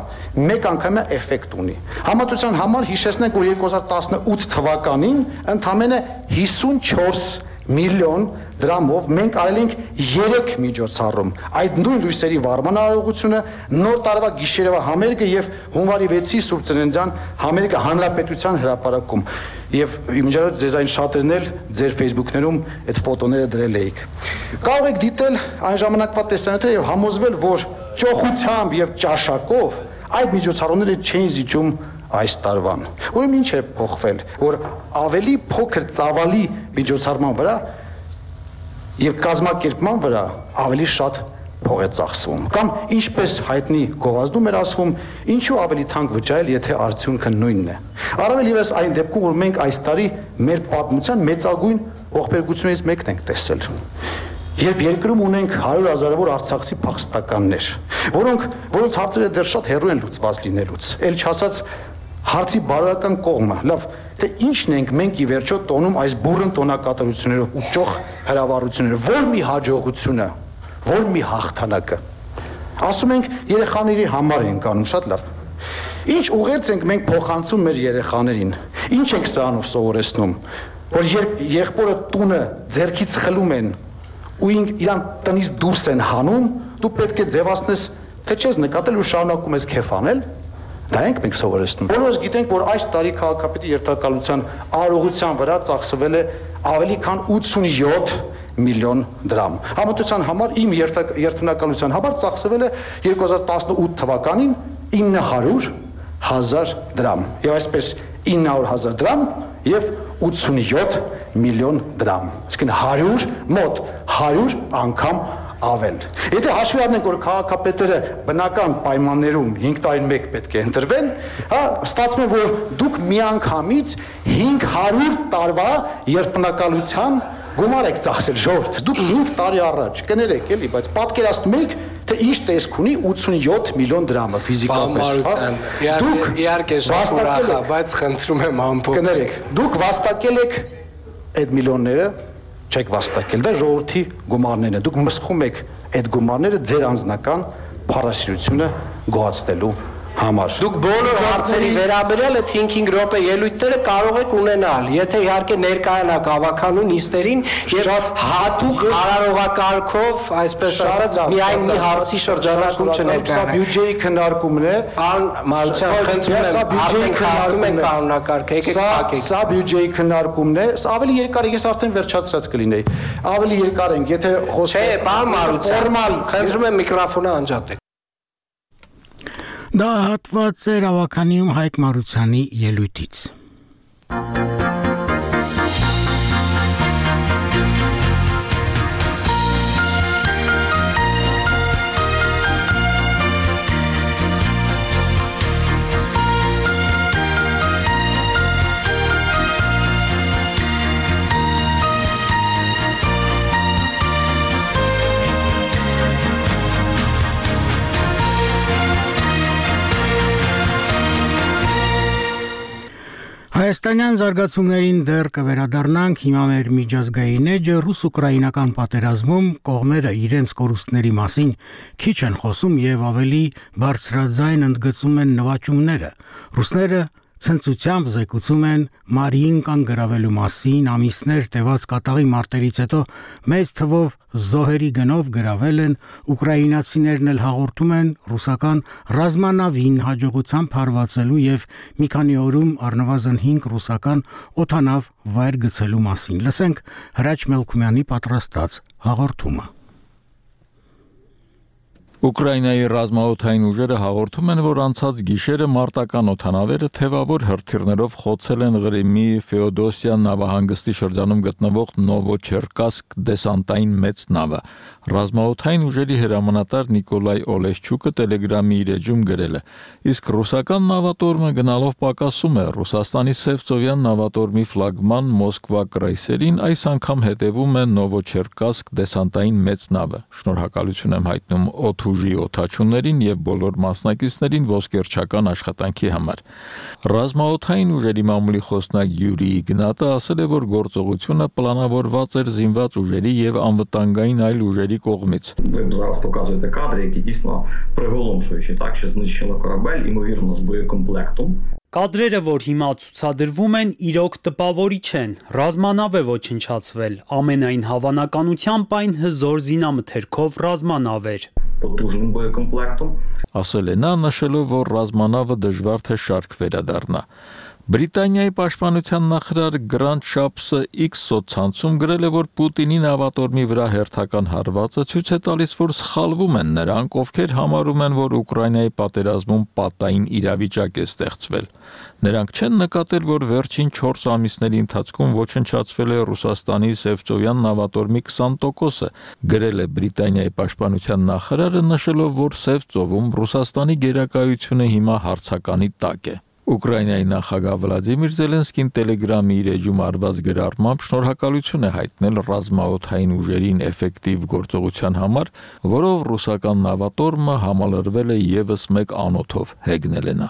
Speaker 19: մեկ անգամյա էֆեկտ ունի։ Համատության համար հիշեցնենք, որ երկու հազար տասնութ թվականին ընդամենը հիսունչորս միլիոն դրամով մենք արել ենք երեք միջոցառում։ Այդ նույն լույսերի վարման արարողությունը, նոր տարվա գիշերվա համերգը եւ հունվարի վեցի Սուրբ Ծննդյան համերգը հանրապետության հրապարակում։ Եվ իմիջիայլոց ձեզ այն շատերն էլ ձեր Facebook-ներում այդ ֆոտոները դրել էիք։ Կարող եք դիտել այն ժամանակվա տեսանյութերը եւ համոզվել, որ ճոխությամբ եւ ճաշակով այդ միջոցառումները չէին զիջում այս տարվան։ Ուրեմն ինչ է փոխվել, որ ավելի փոքր ծավալի միջոցառման վրա եւ կազմակերպման վրա ավելի շատ փող է ծախսվում։ Կամ ինչպես հայտնի գովազդում էր ասվում, ինչու ավելի թանկ վճարել, եթե արդյունքը նույնն է։ Առավել ևս այն դեպքում, որ մենք այս տարի մեր պատմության մեծագույն ողբերգություններից մեկն ենք տեսել։ Երբ երկրում ունենք հարյուր հազարավոր արցախցի փախստականներ, որոնք որոնց հարցերը դեռ շատ հեռու են լուծված լինելուց, ել չասած Հարցի բարոյական կողմը, լավ, թե ինչն ենք մենք ի վերջո տոնում այս բուրըն տոնակատարություններով ու ճոխ հրավառություններով, որ մի հաջողությունը, որ մի հաղթանակը։ Ասում ենք երեխաների համար ենք անում, շատ լավ։ Ինչ ուղերձ ենք մենք փոխանցում մեր երեխաներին։ Ինչ ենք սրանով սովորեցնում, որ երբ եղբորը տունը ձեռքից խլում են ու իրան տնից դուրս են հանում, դու պետք է ձևացնես, թե չես նկատել ու շարունակում ես քեֆ անել։ Դա ենք մենք սովորեցնում։ Բոլորս գիտենք, որ այս տարի քաղաքապետի երթակալության արարողության վրա ծախսվել է ավելի քան ութսունյոթ միլիոն դրամ։ Համատության համար իմ երթնակալության համար ծախսվել է երկու հազար տասնութ թվականին ինը հարյուր հազար դրամ։ Եվ այսպես ինը հարյուր հազար դրամ եւ ութսունյոթ միլիոն դրամ։ Այսինքն հարյուր մոտ հարյուր անգամ ավել։ Եթե հաշվի առնենք, որ քաղաքապետերը բնական պայմաններում հինգ տարին մեկ պետք է ընտրվեն, հա, ստացվում է, որ դուք միանգամից հինգ հարյուր տարվա երթնակալության գումար եք ծախսել, ժողովուրդ։ Դուք հինգ տարի առաջ կներեք, էլի, բայց պատկերացնում եք, թե ինչ տեսք ունի ութսունյոթ միլիոն դրամը ֆիզիկապես, հա։ Դուք
Speaker 16: իհարկե շատ ուրախ եմ, բայց խնդրում եմ ամփոփ։
Speaker 19: Կներեք, դուք վաստակել եք այդ միլիոնները, չեք վաստակել, դա ժողովրդի գումարներն են։ Դուք մսխում եք այդ գումարները ձեր անձնական փառասիրությունը գոհացնելու համար։
Speaker 16: Դուք բոլոր հարցերի վերաբերյալ այդ հինգ-հինգ րոպե ելույթները կարող եք ունենալ, եթե իհարկե ներկայանաք ավականու նիստերին եւ հատուկ արարողակարգով, այսպես ասած, միայն մի հարցի շրջանակում չներկայանաք։
Speaker 19: Սա բյուջեի քննարկումն է։
Speaker 16: Պարոն Մարության, խնդրում եմ, արդեն քննարկում ենք կանոնակարգը, եկեք փակեք։
Speaker 19: Սա բյուջեի քննարկումն է, ավելի երկար է, ես արդեն վերջացրած կլինեի։ Ավելի երկար ենք, եթե խոսքը։
Speaker 16: Չէ, պարոն Մարության, խնդրում եմ միկրոֆոնը անջատեք։
Speaker 1: Դա հատված էր ավականիում Հայկ Մարությանի ելույթից։ Հայաստանյան զարգացումներին դեռ կվերադառնանք, հիմա մեր միջազգային էջը ռուս-ուկրաինական պատերազմում կողմերը իրենց կորուստների մասին քիչ են խոսում եւ ավելի բարձրաձայն ընդգծում են նվաճումները։ Ռուսները ցնծությամբ զեկուցում են Մարիին կան գրավելու մասին, ամիսներ տևած կատաղի մարտերից հետո մեծ թվով զոհերի գնով գրավել են, ուկրաինացիներն էլ հաղորդում են ռուսական ռազմանավին հաջողությամբ հարվածելու եւ մի քանի օրում առնվազն հինգ ռուսական օդանավ վայր գցելու մասին։ Լսենք Հրաչ Մելքումյանի պատրաստած հաղորդումը։
Speaker 20: Ուկրաինայի ռազմաօդային ուժերը հաղորդում են, որ անցած գիշերը մարտական օդանավերը թևավոր հրթիռներով խոցել են Ղրիմի Ֆեոդոսիա նավահանգստի շրջանում գտնվող Նովոչերկասկ դեսանտային մեծ նավը։ Ռազմաօդային ուժերի հրամանատար Նիկոլայ Օլեշչուկը Տելեգրամի իր էջում գրել է. իսկ ռուսական նավատորմը գնալով պակասում է Ռուսաստանի Սևծովյան նավատորմի ֆլագման Մոսկվա կրայսերին այս անգամ հետևում է Նովոչերկասկ դեսանտային մեծ նավը։ Շնորհակալություն եմ հայտնում օդուժի օդաչուներին եւ բոլոր մասնակիցներին ոսկերչական աշխատանքի համար։ Ռազմաօդային ուժերի մամուլի խոսնակ Յուրի Իգնատը ասել է, որ գործողությունը պլանավորված էր զինված ուժերի եւ անվտանգային այլ ուժերի կողմից։
Speaker 21: Зараз показуєте кадри, які дійсно приголомшуючі, так що знищено корабель, ймовірно, з боєкомплектом.
Speaker 22: Կադրերը, որ հիմա ցուցադրվում են, իրոք տպավորիչ են։ Ռազմանավ է ոչնչացվել։ Ամենայն հավանականությամբ այն հզոր զինամթերքով ռազմանավ էր։
Speaker 21: Потужним боєкомплектом.
Speaker 20: Ասել է նա, նշելով, որ ռազմանավը դժվար թե շարք վերադառնա։ Բրիտանիայի պաշտպանության նախարար Գրանտ Շապսը X սոցցանցում գրել է, որ Պուտինի նավատորմի վրա հերթական հարվածը ցույց է տալիս, որ սխալվում են նրանք, ովքեր համարում են, որ Ուկրաինայի պատերազմում պատային իրավիճակ է ստեղծվել։ Նրանք չեն նկատել, որ վերջին չորս ամիսների ընթացքում ոչնչացվել է Ռուսաստանի Սևծովյան նավատորմի քսան տոկոսը, գրել է Բրիտանիայի պաշտպանության նախարարը, նշելով, որ Սևծովում Ռուսաստանի գերակայությունը հիմա հարցականի տակ է։ Ուկրաինայի նախագահ Վլադիմիր Զելենսկին Տելեգրամի իր էջում արված գրառմամբ շնորհակալություն է հայտնել ռազմաօդային ուժերին էֆեկտիվ գործողության համար, որով ռուսական նավատորմը համալրվել է եւս մեկ անոթով, հեգնել է նա։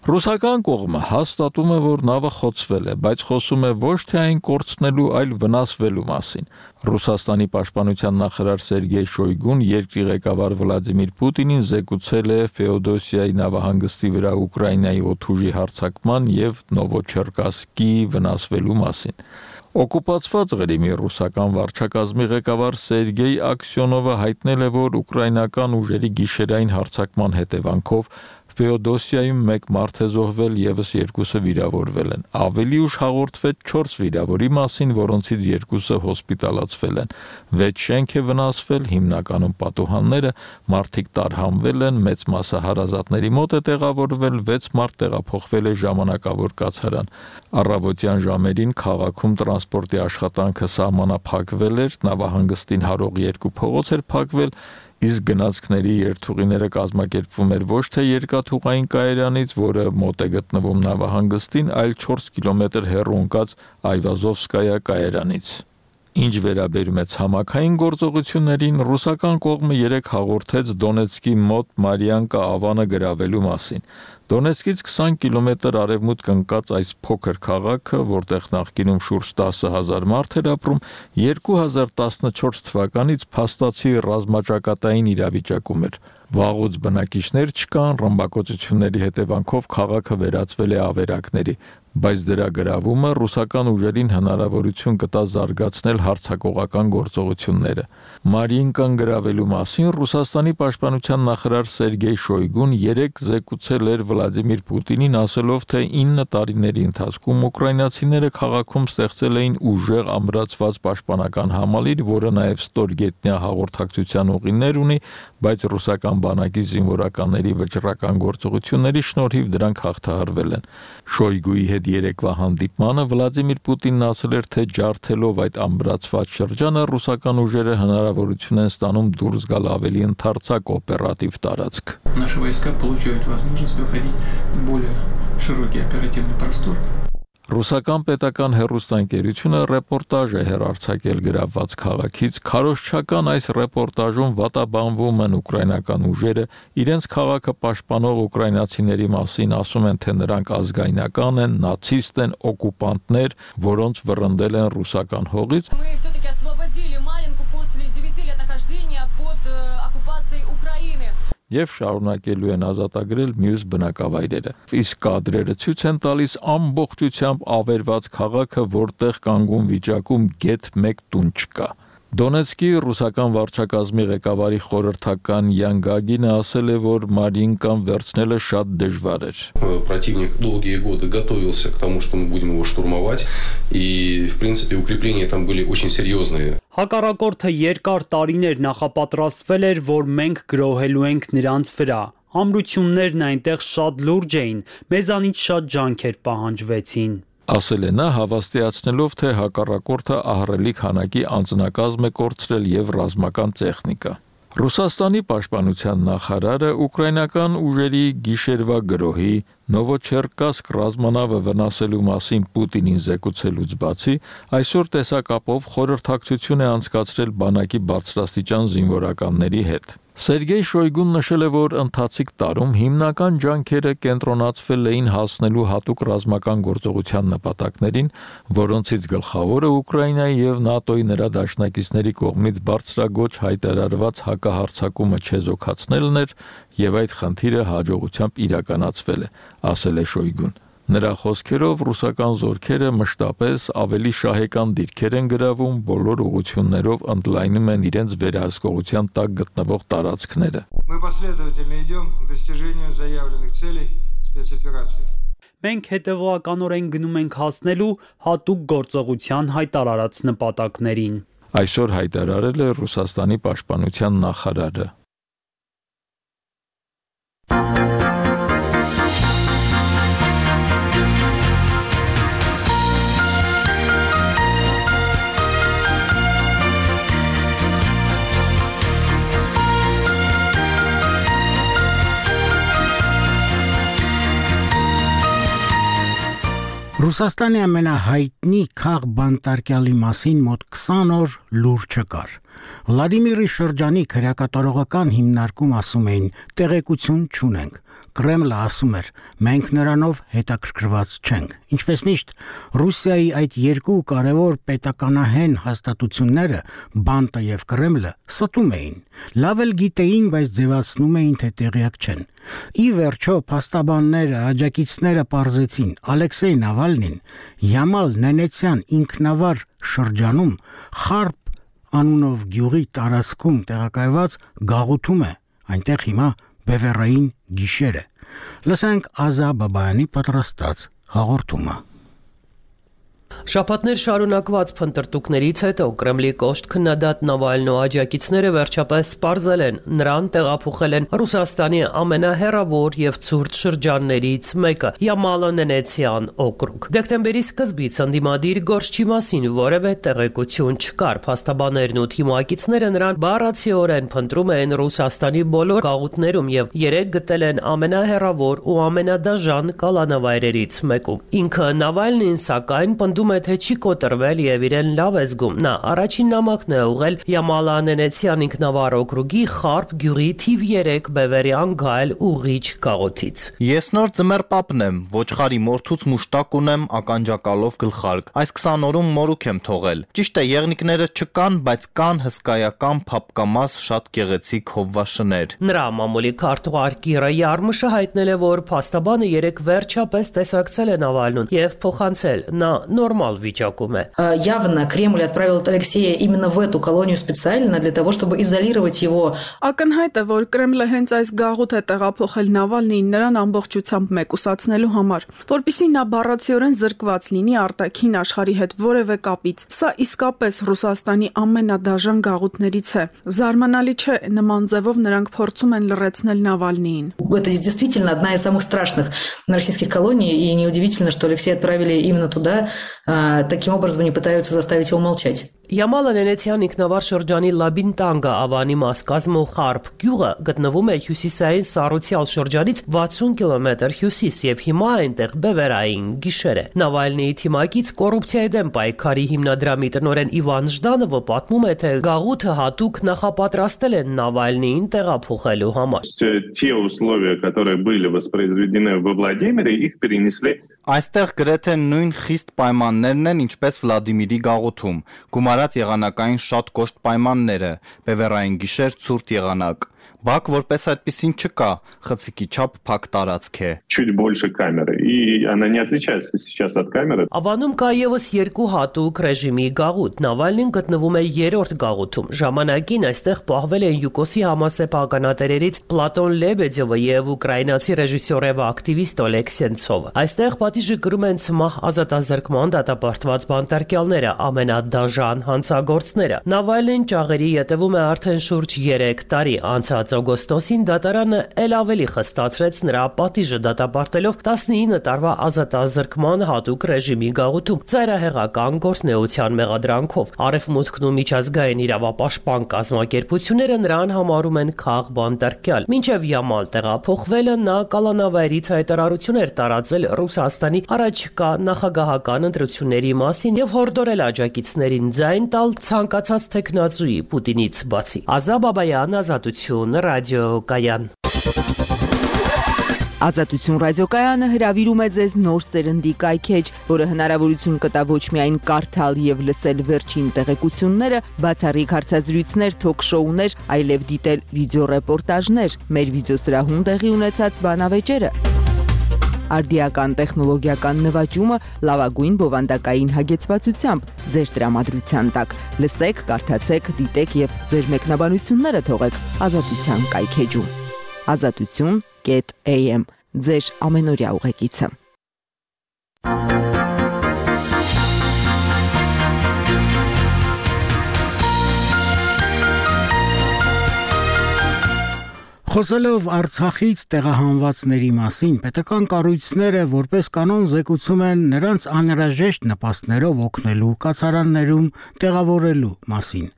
Speaker 20: Ռուսական կողմը հաստատում է, որ նավը խոցվել է, բայց խոսում է ոչ թե այն կորցնելու, այլ վնասվելու մասին։ Ռուսաստանի պաշտպանության նախարար Սերգեյ Շոյգուն երկրի ղեկավար Վլադիմիր Պուտինին զեկուցել է Ֆեոդոսիայի նավահանգստի վրա Ուկրաինայի օդուժի հարձակման եւ Նովոչերկասկի վնասվելու մասին։ Օկուպացված Ղրիմի ռուսական վարչակազմի ղեկավար Սերգեյ Աքսյոնովը հայտնել է, որ ուկրաինական ուժերի գիշերային հարձակման հետևանքով Ֆեոդոսիայում մեկ մարդ է զոհվել, եւս երկուսը վիրավորվել են։ Ավելի ուշ հաղորդվեց չորս վիրավորի մասին, որոնցից երկուսը հոսպիտալացվել են։ վեց շենք է վնասվել, հիմնականում պատուհանները, մարդիկ տարհանվել են, մեծ մասը հարազատների մոտ է տեղավորվել, վեց մարդ տեղափոխվել է ժամանակավոր կացարան։ Առավոտյան ժամերին քաղաքում տրանսպորտի աշխատանքը սահմանափակվել էր, նավահանգստին հարող երկու փողոց էր փակվել, իսկ գնացքների երթուղիները կազմակերպվում էր ոչ թե երկաթուղային կայարանից, որը մոտ է գտնվում նավահանգստին, այլ չորս կիլոմետր հեռու ընկած Այվազովսկայա կայարանից։ Ինչ վերաբերում է ցամաքային գործողություններին, ռուսական կողմը երեկ հաղորդեց Դոնեցկի մոտ Մարիանկա ավանը գրավելու մասին։ Դոնեցկից քսան կիլոմետր արևմուտք ընկած այս փոքր քաղաքը, որտեղ նախկինում շուրջ տասը հազար մարդ էր ապրում, երկու հազար տասնչորս թվականից փաստացի ռազմաճակատային իրավիճակում էր։ Վաղուց բնակիչներ չկան, ռմբակոծությունների հետևանքով քաղաքը վերածվել է ավերակների, բայց դրա գրավումը ռուսական ուժերին հնարավորություն կտա զարգացնել հարձակողական գործողությունները։ Մարիինկան գրավելու մասին Ռուսաստանի պաշտպանության նախարար Սերգեյ Շոյգուն երեկ զեկուցել էր Վլադիմիր Պուտինին, ասելով, թե ինը տարիների ընթացքում ուկրաինացիները քաղաքում ստեղծել էին ուժեղ ամրացված պաշտպանական համալիր, որը նաև ստորգետնյա հաղորդակցության ուղիներ ունի, բայց ռուսական բանակի զինվորականների վճռական գործողությունների շնորհիվ դրանք հաղթահարվել են։ Շոյգուի հետ երեկվա հանդիպմանը Վլադիմիր Պուտինն ասել էր, թե ջարդելով այդ ամրացված շրջանը ռուսական ուժերը հնարավորություն են ստանում դուրս գալ ավելի ընդարձակ օպերատիվ տարածք։
Speaker 2: Наши войска получают возможность выходить в более широкий оперативный простор.
Speaker 20: Ռուսական պետական հեռուստաընկերությունը ռեպորտաժ է հեռարձակել գրավված քաղաքից։ Քարոզչական այս ռեպորտաժում վատաբանվում են ուկրաինական ուժերը, իրենց քաղաքը պաշտպանող ուկրաինացիների մասին ասում են, թե նրանք ազգայնական են, նացիստ են, օկուպանտներ, որոնց վռնդել են ռուսական հողից։
Speaker 4: Мы все-таки освободили Маринку после девяти лет нахождения под оккупацией Украины.
Speaker 20: Եվ շարունակելու են ազատագրել մյուս բնակավայրերը։ Իսկ կադրերը ցույց են տալիս ամբողջությամբ ավերված քաղաքը, որտեղ կանգուն վիճակում գեթ մեկ տուն չկա։ Դոնեցկի ռուսական վարչակազմի ղեկավարի խորհրդական Յան Գագինը ասել է, որ Մարիինկան վերցնելը շատ դժվար էր։
Speaker 18: Противник долгие годы готовился к тому, что мы будем его штурмовать, и, в принципе, укрепления там были очень серьезные.
Speaker 22: Հակառակորդը երկար տարիներ նախապատրաստվել էր, որ մենք գրոհելու ենք նրանց վրա։ Ամրություններն այնտեղ շատ լուրջ էին, մեզանից շատ ջանքեր պահանջվեցին։
Speaker 20: Ասել է նա, հավաստիացնելով, թե հակառակորդը ահռելի քանակի անձնակազմ է կորցրել եւ ռազմական տեխնիկա։ Ռուսաստանի պաշտպանության նախարարը ուկրաինական ուժերի գիշերվա գրոհի Նովոչերկասկ ռազմանավը վնասելու մասին Պուտինին զեկուցելուց բացի, այսօր տեսակապով խորհրդակցություն է անցկացրել բանակի բարձրաստիճան զինվորականների հետ։ Սերգեյ Շոյգուն նշել է, որ ընթացիկ տարում հիմնական ջանքերը կենտրոնացվել էին հասնելու հատուկ ռազմական գործողության նպատակներին, որոնցից գլխավորը Ուկրաինայի եւ ՆԱՏՕ-ի նրա դաշնակիցների կողմից բարձրագոչ հայտարարված հակահարձակումը չեզոքացնելն էր, եւ այդ խնդիրը հաջողությամբ իրականացվել է, ասել է Շոյգուն։ Նրա խոսքերով ռուսական զորքերը մշտապես ավելի շահեկան դիրքեր են գրավում, բոլոր ուղղություններով ընդլայնում են իրենց վերահսկողության տակ գտնվող տարածքները։
Speaker 23: Мы последовательно идем к достижению заявленных целей спецоперации.
Speaker 22: Մենք հետևողականորեն գնում ենք հասնելու հատուկ գործողության հայտարարած նպատակներին։
Speaker 20: Այսօր հայտարարել է Ռուսաստանի պաշտպանության նախարարը։
Speaker 1: Ռուսաստանի ամենահայտնի քաղ բանտարկյալի մասին մոտ քսան օր լուր չկար։ Վլադիմիրի շրջանի քրեակատարողական հիմնարկում ասում էին՝ տեղեկություն չունենք։ Կրեմլը ասում էր՝ մենք նրանով հետաքրքրված չենք։ Ինչպես միշտ, Ռուսիայի այդ երկու կարևոր պետականահեն հաստատությունները՝ Բանտը եւ Կրեմլը, ստում էին։ Լավ էլ գիտեին, բայց ձևացնում էին, թե տեղյակ չեն։ Ի վերջո, փաստաբանները, աջակիցները պարզեցին՝ Ալեքսեյ Նավալնին Յամալ Նենեցյան ինքնավար շրջանում Խարպ անունով գյուղի տարածքում տեղակայված գաղութում է։ Այնտեղ հիմա բևեռային գիշեր է։ Լսենք Ազա Բաբայանի պատրաստած հաղորդումը։
Speaker 3: Շաբաթներ շարունակված փնտրտուքներից հետո Կրեմլի կոշտ քննադատ Նավալնու աջակիցները վերջապես պարզել են, նրան տեղափոխել են Ռուսաստանի ամենահեռավոր եւ ցուրտ շրջաններից մեկը՝ Յամալա-Նենեցյան օկրուգ։ Դեկտեմբերի սկզբից ընդդիմադիր գործչի մասին որևէ տեղեկություն չկար։ Փաստաբաններն ու թիմակիցները նրան բառացիորեն փնտրում են Ռուսաստանի բոլոր գաղութներում եւ երեք գտել են ամենահեռավոր ու ամենադաժան կալանավայրերից մեկում։ Ինքը Նավալնին սակայն պնդում է, թե չի կոտրվել եւ իրեն լավ է զգում։ Նա առաջին նամակն է ուղղել Յամալա-Նենեցյան ինքնավար օկրուգի Խարպ գյուղի թիվ երեք բևերյան գայլ ուղիչ գաղութից։
Speaker 6: Ես նոր ձմեռ պապն եմ, ոչխարի մորթուց մուշտակ ունեմ ականջակալով գլխարկ։ Այս քսան օրում մորուք եմ թողել։ Ճիշտ է, եղնիկները չկան, բայց կան հսկայական փապկամաս շատ գեղեցիկ հովվաշներ։
Speaker 3: Նրա մամուլի քարտուղար Կիրա Յարմուշը հայտնել է, որ փաստաբանը երեք վերջապես տեսակցել է Նավալնուն եւ փոխանցել։ Նա нормал вичакում է։
Speaker 5: Явно Кремль отправил Алексея именно в эту колонию специально для того, чтобы изолировать его.
Speaker 9: Ակնհայտ է, որ Կրեմլը հենց այս գաղութ է տեղափոխել Նավալնիին նրան ամբողջությամբ մեկուսացնելու համար, որպեսզի նա բառացիորեն զրկված լինի արտաքին աշխարհի հետ որևէ կապից։ Սա իսկապես Ռուսաստանի ամենադաժան գաղութներից է։ Զարմանալի չէ, նման ձևով նրանք փորձում են լռեցնել Նավալնիին։
Speaker 5: Это действительно одна из самых страшных российских колоний, и неудивительно, что Алексея отправили именно туда. Таким образом они пытаются заставить его молчать.
Speaker 3: Յամալա-Նենեցյան ինքնավար շրջանի Լաբինտանգա ավանի մաս կազմող Խարպ գյուղը գտնվում է հյուսիսային Սառուցյալ շրջանից վաթսուն կիլոմետր հյուսիս եւ հիմա այնտեղ բևերային գիշեր է։ Նավալնիի թիմակից կոռուպցիայի դեմ պայքարի հիմնադրամի տնօրեն Իվան Ժդանովը պատմում է, թե գաղութը հատուկ նախապատրաստել են Նավալնիին տեղափոխելու համար։
Speaker 24: Те условия, которые были воспроизведены во Владимире, их перенесли.
Speaker 6: Այստեղ գրեթե նույն խիստ պայմաններն են, ինչպես Վլադիմիրի գաղութում։ Գումարած եղանակային շատ կոշտ пայմանները, բևեռային գիշեր, ցուրտ եղանակ։ Բակ որպես այդպեսին չկա, խցիկի չափ փակ տարածք է։
Speaker 24: Чуть больше камеры, и она не отличается сейчас от камеры.
Speaker 3: Ավանում կա եւս երկու հատուկ ռեժիմի գաղութ։ Նավալնին գտնվում է երրորդ գաղութում։ Ժամանակին այստեղ պահվել են Յուկոսի համասեփ ականատերերից Պլատոն Լեբեդյովը եւ ուկրաինացի ռեժիսոր եւ ակտիվիստ Օլեգ Սենցովը։ Այստեղ պատիժը կրում են ցմահ ազատազրկման դատապարտված բանտարկյալները, ամենադաժան հանցագործները։ Նավալնին ճաղերի ետևում է արդեն շուրջ երեք տարի։ Անցած օգոստոսին դատարանը ել ավելի խստացրեց նրա պատիժը դատապարտելով տասնինը տարվա ազատազրկման հատուկ ռեժիմի գաղութում ծայրահեղական գործնեության մեղադրանքով։ Արևմուտքն ու միջազգային իրավապաշտպան կազմակերպությունները նրան համարում են քաղ բանտարկյալ։ Մինչև Յամալ տեղափոխվելը նա կալանավայրից հայտարարություն էր տարածել Ռուսաստանի առաջիկա նախագահական ընտրությունների մասին եւ հորդորել աջակիցներին ձայն տալ ցանկացած տեխնացուի Պուտինից բացի։ Ազա Բաբայան, Ազատություն, ռադիոկայան։
Speaker 8: Ազատություն ռադիոկայանը հրավիրում է ձեզ նոր սերնդի կայքեջ, որը հնարավորություն կտա ոչ միայն կարդալ եւ լսել վերջին տեղեկությունները, բացառիկ հարցազրույցներ, թոք-շոուներ, այլև դիտել վիդեոռեպորտաժներ, մեր վիդեոսրահում տեղի ունեցած բանավեճերը։ Արդիական տեխնոլոգիական նվաճումը լավագույն բովանդակային հագեցվածությամբ ձեր տրամադրության տակ։ Լսեք, կարդացեք, դիտեք եւ ձեր մեկնաբանությունները թողեք Ազատության կայքեջում։ Ազատություն կետ էյ էմ ձեր ամենօրյա ուղեկիցը։
Speaker 1: Խոսելով Արցախից տեղահանվածների մասին, պետական կառույցները որպես կանոն զեկուցում են նրանց անհրաժեշտ նպաստներով օգնելու կացարաններում տեղավորելու մասին։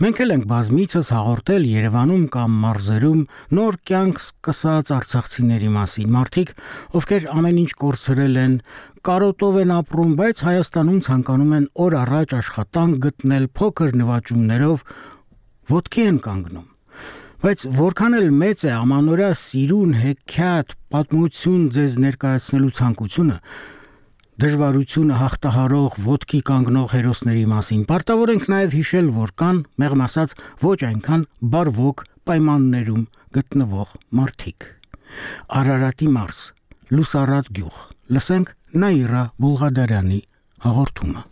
Speaker 1: Մենք էլ ենք բազմիցս հաղորդել Երևանում կամ մարզերում նոր կյանք սկսած արցախցիների մասին, մարդիկ, ովքեր ամեն ինչ կորցրել են, կարոտով են ապրում, բայց Հայաստանում ցանկանում են օր առաջ աշխատանք գտնել, փոքր նվաճումներով ոտքի են կանգնում։ Բայց որքան էլ մեծ է ամանորյա սիրուն, հեքիաթ, պատմություն ձեզ ներկայացնելու ցանկությունը, դժվարությունը հաղթահարող ոտքի կանգնող հերոսների մասին, պարտավոր ենք նաև հիշել, որ կան, մեղմ ասած, ոչ այնքան բարվոք պայմաններում գտնվող մարդիկ։ Արարատի մարզ, Լուսարատ գյուղ, լսենք Նաիրա Բուլղադարյանի հաղորդումը։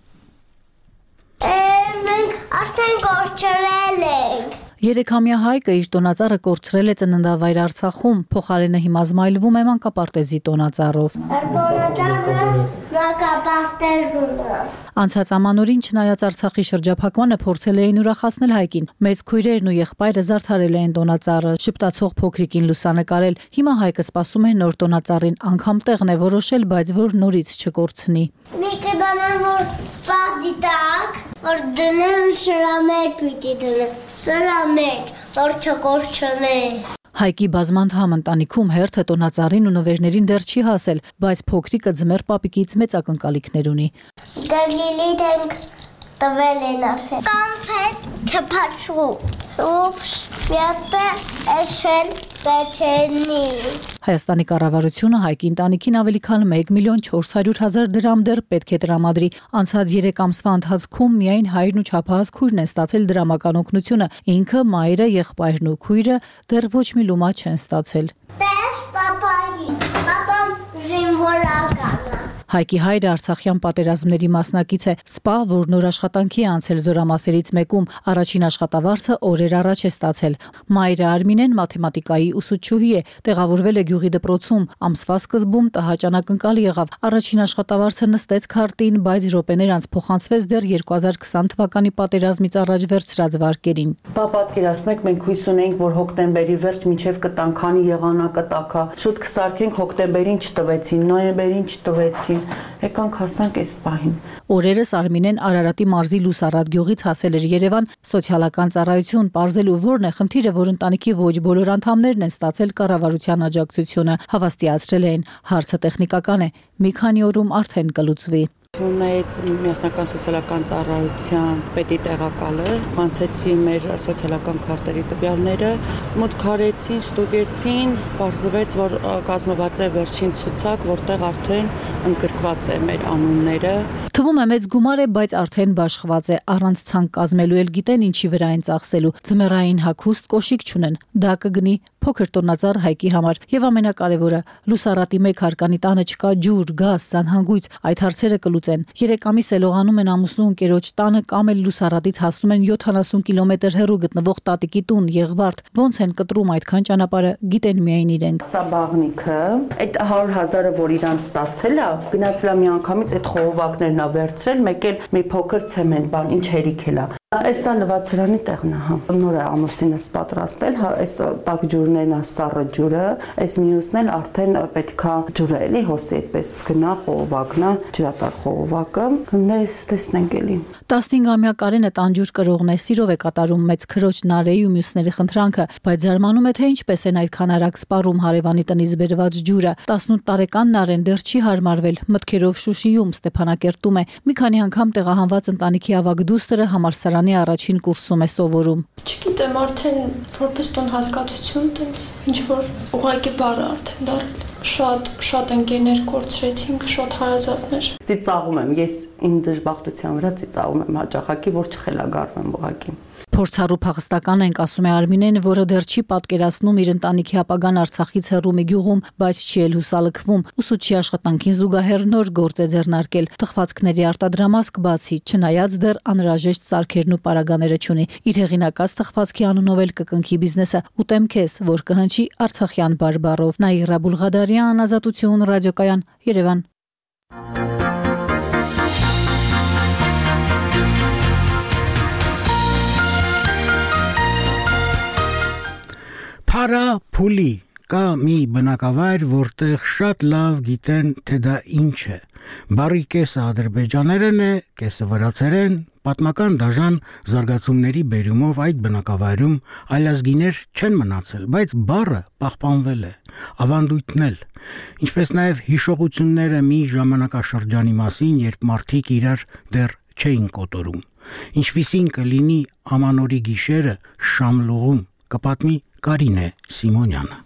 Speaker 7: Մենք արդեն կորցրել ենք։
Speaker 13: Երեքամյա Հայկը իր տոնածառը կորցրել է ծննդավայր Արցախում, փոխարենը հիմա զմայլվում է մանկապարտեզի տոնածառով։
Speaker 7: Տոնածառը մանկապարտեզում է։
Speaker 13: Անցած ամանորին չնայած Արցախի շրջափակմանը փորձել էին ուրախացնել Հայկին։ Մեծ քույրերն ու եղբայրը զարդարել էին տոնածառը, շպտացող փոքրիկին լուսանկարել։ Հիմա Հայկը սպասում է նոր տոնածառին, անգամ տեղն է որոշել, բայց որ նորից չկորցնի։
Speaker 7: Մի կդանան որ պատի տակ, որ դնեմ սրա մեջ պիտի դնեմ, սրա մեջ, որ չկորցնե։
Speaker 13: Հայկի բազմանդամ ընտանիքում հերթը տոնածառին ու նվերներին դեռ չի հասել, բայց փոքրիկը ձմեռ պապիկից մեծ ակնկալիքներ ունի։
Speaker 7: Գլիլիդ ենք տվել են արդեն։ Կոնֆետ չփաչու։ Ուպս, միատը էշել բեչենի։
Speaker 13: Հայաստանի կառավարությունը Հայկի ընտանիքին ավելի քան մեկ միլիոն չորս հարյուր հազար դրամ դեռ պետք է տրամադրի։ Անցած երեք ամսվա ընթացքում միայն հայրն ու չափահաս քույրն են ստացել դրամական օգնությունը, ինքը, մայրը, եղբայրն ու քույրը դեռ ոչ մի լումա չեն ստացել։
Speaker 7: Տես պապայի, պապան զինվորական է։
Speaker 13: Հայկի հայրը Արցախյան պատերազմների մասնակից է, սպա, որ նոր աշխատանքի է անցել զորամասերից մեկում, առաջին աշխատավարձը օրեր առաջ է ստացել։ Մայրը Արմինեն մաթեմատիկայի ուսուցչուհի է, տեղավորվել է գյուղի դպրոցում, ամսվա սկզբում տհաճ անակնկալ եղավ։ Առաջին աշխատավարձը նստեց քարտին, բայց րոպեներ անց փոխանցվեց դեռ երկու հազար քսան թվականի պատերազմից առաջ վերցրած վարկերին։
Speaker 10: Բա պատկերացնեք, մենք հույս ունենք, որ հոկտեմբերի վերջ մինչև կտան, քանի եղանակը տաքա, շուտ կսարքենք, հոկտեմբերին չտվեցին, նոյեմբերին չտվեցին, եկանք հասանք այս պահին։
Speaker 13: Օրերս Արմինեն Արարատի մարզի Լուսարատ գյուղից հասել էր Երևան սոցիալական ծառայություն պարզելու որն է խնդիրը, որ ընտանիքի ոչ բոլոր անդամներն են ստացել կառավարության աջակցությունը, հավաստիացրել են, հարցը տեխնիկական է, մի քանի օրում արդեն կլուծվի։
Speaker 10: Ունեից միասնական սոցիալական ծառայության պետի տեղակալը, խանցեցի մեր սոցիալական քարտերի տվյալները, մուտք արեցին, ստուգեցին, պարզվեց, որ կազմված է վերջին ցուցակ, որտեղ արդեն ընդգրկված է մեր անունները։
Speaker 13: Թվում է մեծ գումար է, բայց արդեն բաշխված է, առանց ցանկ կազմելու էլ գիտեն ինչի վրա են ծախսելու։ Ձմեռային հագուստ կոշիկ չունեն, դա կգնի փոքր տոնածառ Հայկի համար, եւ ամենակարևորը, Լուսարատի մեկ հարկանի տանը չկա ջուր, գազ, սանհանգույց, այդ հարցերը կլուծեն։ Երեք ամիս է լողանում են ամուսնու ընկերոջ տանը կամ էլ Լուսարատից հասնում են յոթանասուն կիլոմետր հեռու գտնվող տատիկի տուն Եղվարդ։ Ոնց են կտրում այդքան ճանապարհը, գիտեն միայն իրենք։
Speaker 10: Սա բաղնիքը, այդ հարյուր հազարը, որ իրան ստացել է, գնացել է մի անգամից այդ խողովակներն ա վերցրել, մեկ էլ մի փոքր ցեմենտ բան, ինչ հերիք էլ է։ Այսա լվացարանի տեղն է, հա։ Նոր է ամուսինս պատրաստել, հա, այս տաք ջուրներն է սառը ջուրը, այս մյուսն էլ արդեն պետքա ջուրը էլի հոսի այդպես գնա խողովակն է, ջրատար խողովակը, նես տեսնենք էլի։
Speaker 13: տասնհինգամյա Կարենը տանջուր կրողն է, սիրով է կատարում մեծ քրոջ Նարեի ու մյուսների խնդրանքը, բայց զարմանում է, թե ինչպես են այդքան արագ սպառում հարևանի տնից բերված ջուրը։ տասնութ տարեկան Նարեն դեռ չի հարմարվել, մտքերով Շուշիում, Ստեփանակերտում է, մի քանի անգամ տեղահանված ընտանիքի ավագ դուստրը համալսարանի առաջին կուրսում է սովորում։
Speaker 11: Չգիտեմ, արդեն որպես տուն հասկացություն, տենց ինչ որ ուղղակի բառ արդեն դարել։ Շատ շատ ընկերներ կորցրեցինք, շատ հարազատներ։
Speaker 10: Ծիծաղում եմ, ես իմ դժբախտության վրա ծիծաղում եմ հաճախակի, որ չխելագարվեմ ուղղակի։
Speaker 13: Փորձառու փախստական ենք, ասում է Արմինեն, որը դեռ չի պատկերացնում իր ընտանիքի ապագան Արցախից հեռու մի գյուղում, բայց չի էլ հուսալքվում։ Ուսուցչի աշխատանքին զուգահեռ նոր գործ է ձեռնարկել։ Թխվածքների արտադրամասկ բացի, չնայած դեռ անհրաժեշտ սարքերն ու պարագաները չունի։ Իր հեղինակած թխվածքի անունով էլ կկնքի բիզնեսը «Ուտեմ քեզ», որ կհնչի արցախյան բարբառով։ Նաիրա Բուլղադարյան, Ազատություն, ռադիոկայան, Երևան։
Speaker 1: Փարա փուլի կա մի բնակավայր, որտեղ շատ լավ գիտեն, թե դա ինչ է։ Բառի կեսը ադրբեջաներեն է, կեսը վրացերեն, պատմական դաժան զարգացումների բերումով այդ բնակավայրում այլազգիներ չեն մնացել, բայց բառը պահպանվել է, ավանդույթն էլ, ինչպես նաև հիշողությունները մի ժամանակաշրջանի մասին, երբ մարդիկ իրար դեռ չէին կոտորում, ինչպիսին կլինի ամանորի գիշերը Շամլուղում, կպատմի Կարինե Սիմոնյանը։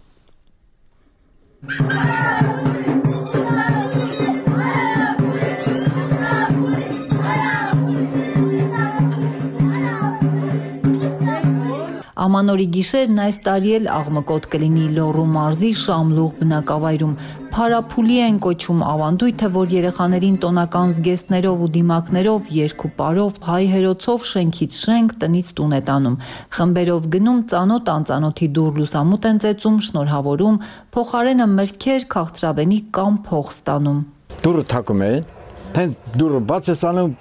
Speaker 12: Ամանորի գիշերն այս տարի էլ աղմկոտ կլինի Լոռու մարզի Շամլուղ բնակավայրում։ Փարափուլի են կոչում ավանդույթը, որ երեխաներին տոնական զգեստներով ու դիմակներով, երգուպարով, հայ հերոցով շենքից շենք, տնից տուն է տանում։ Խմբերով գնում, ծանոթ անծանոթի դուռ լուսամուտ են ծեծում, շնորհավորում, փոխարենը մրգեր, քաղցրավենի կամ փող ստանում։
Speaker 14: Դուռը թակում են, հենց դուռը բաց ես անում,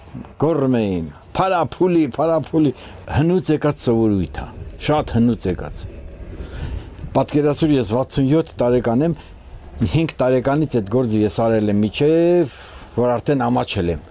Speaker 14: գոռում էին. Փարափուլի, փարափուլի, հնուց եկած սովորույթ է, շատ հնուց եկած։ Պատկերացրու, ես վաթսունյոթ տարեկան եմ, հինգ տարեկանից այդ գործը ես արել եմ միջև, որ արդեն ամաչել եմ։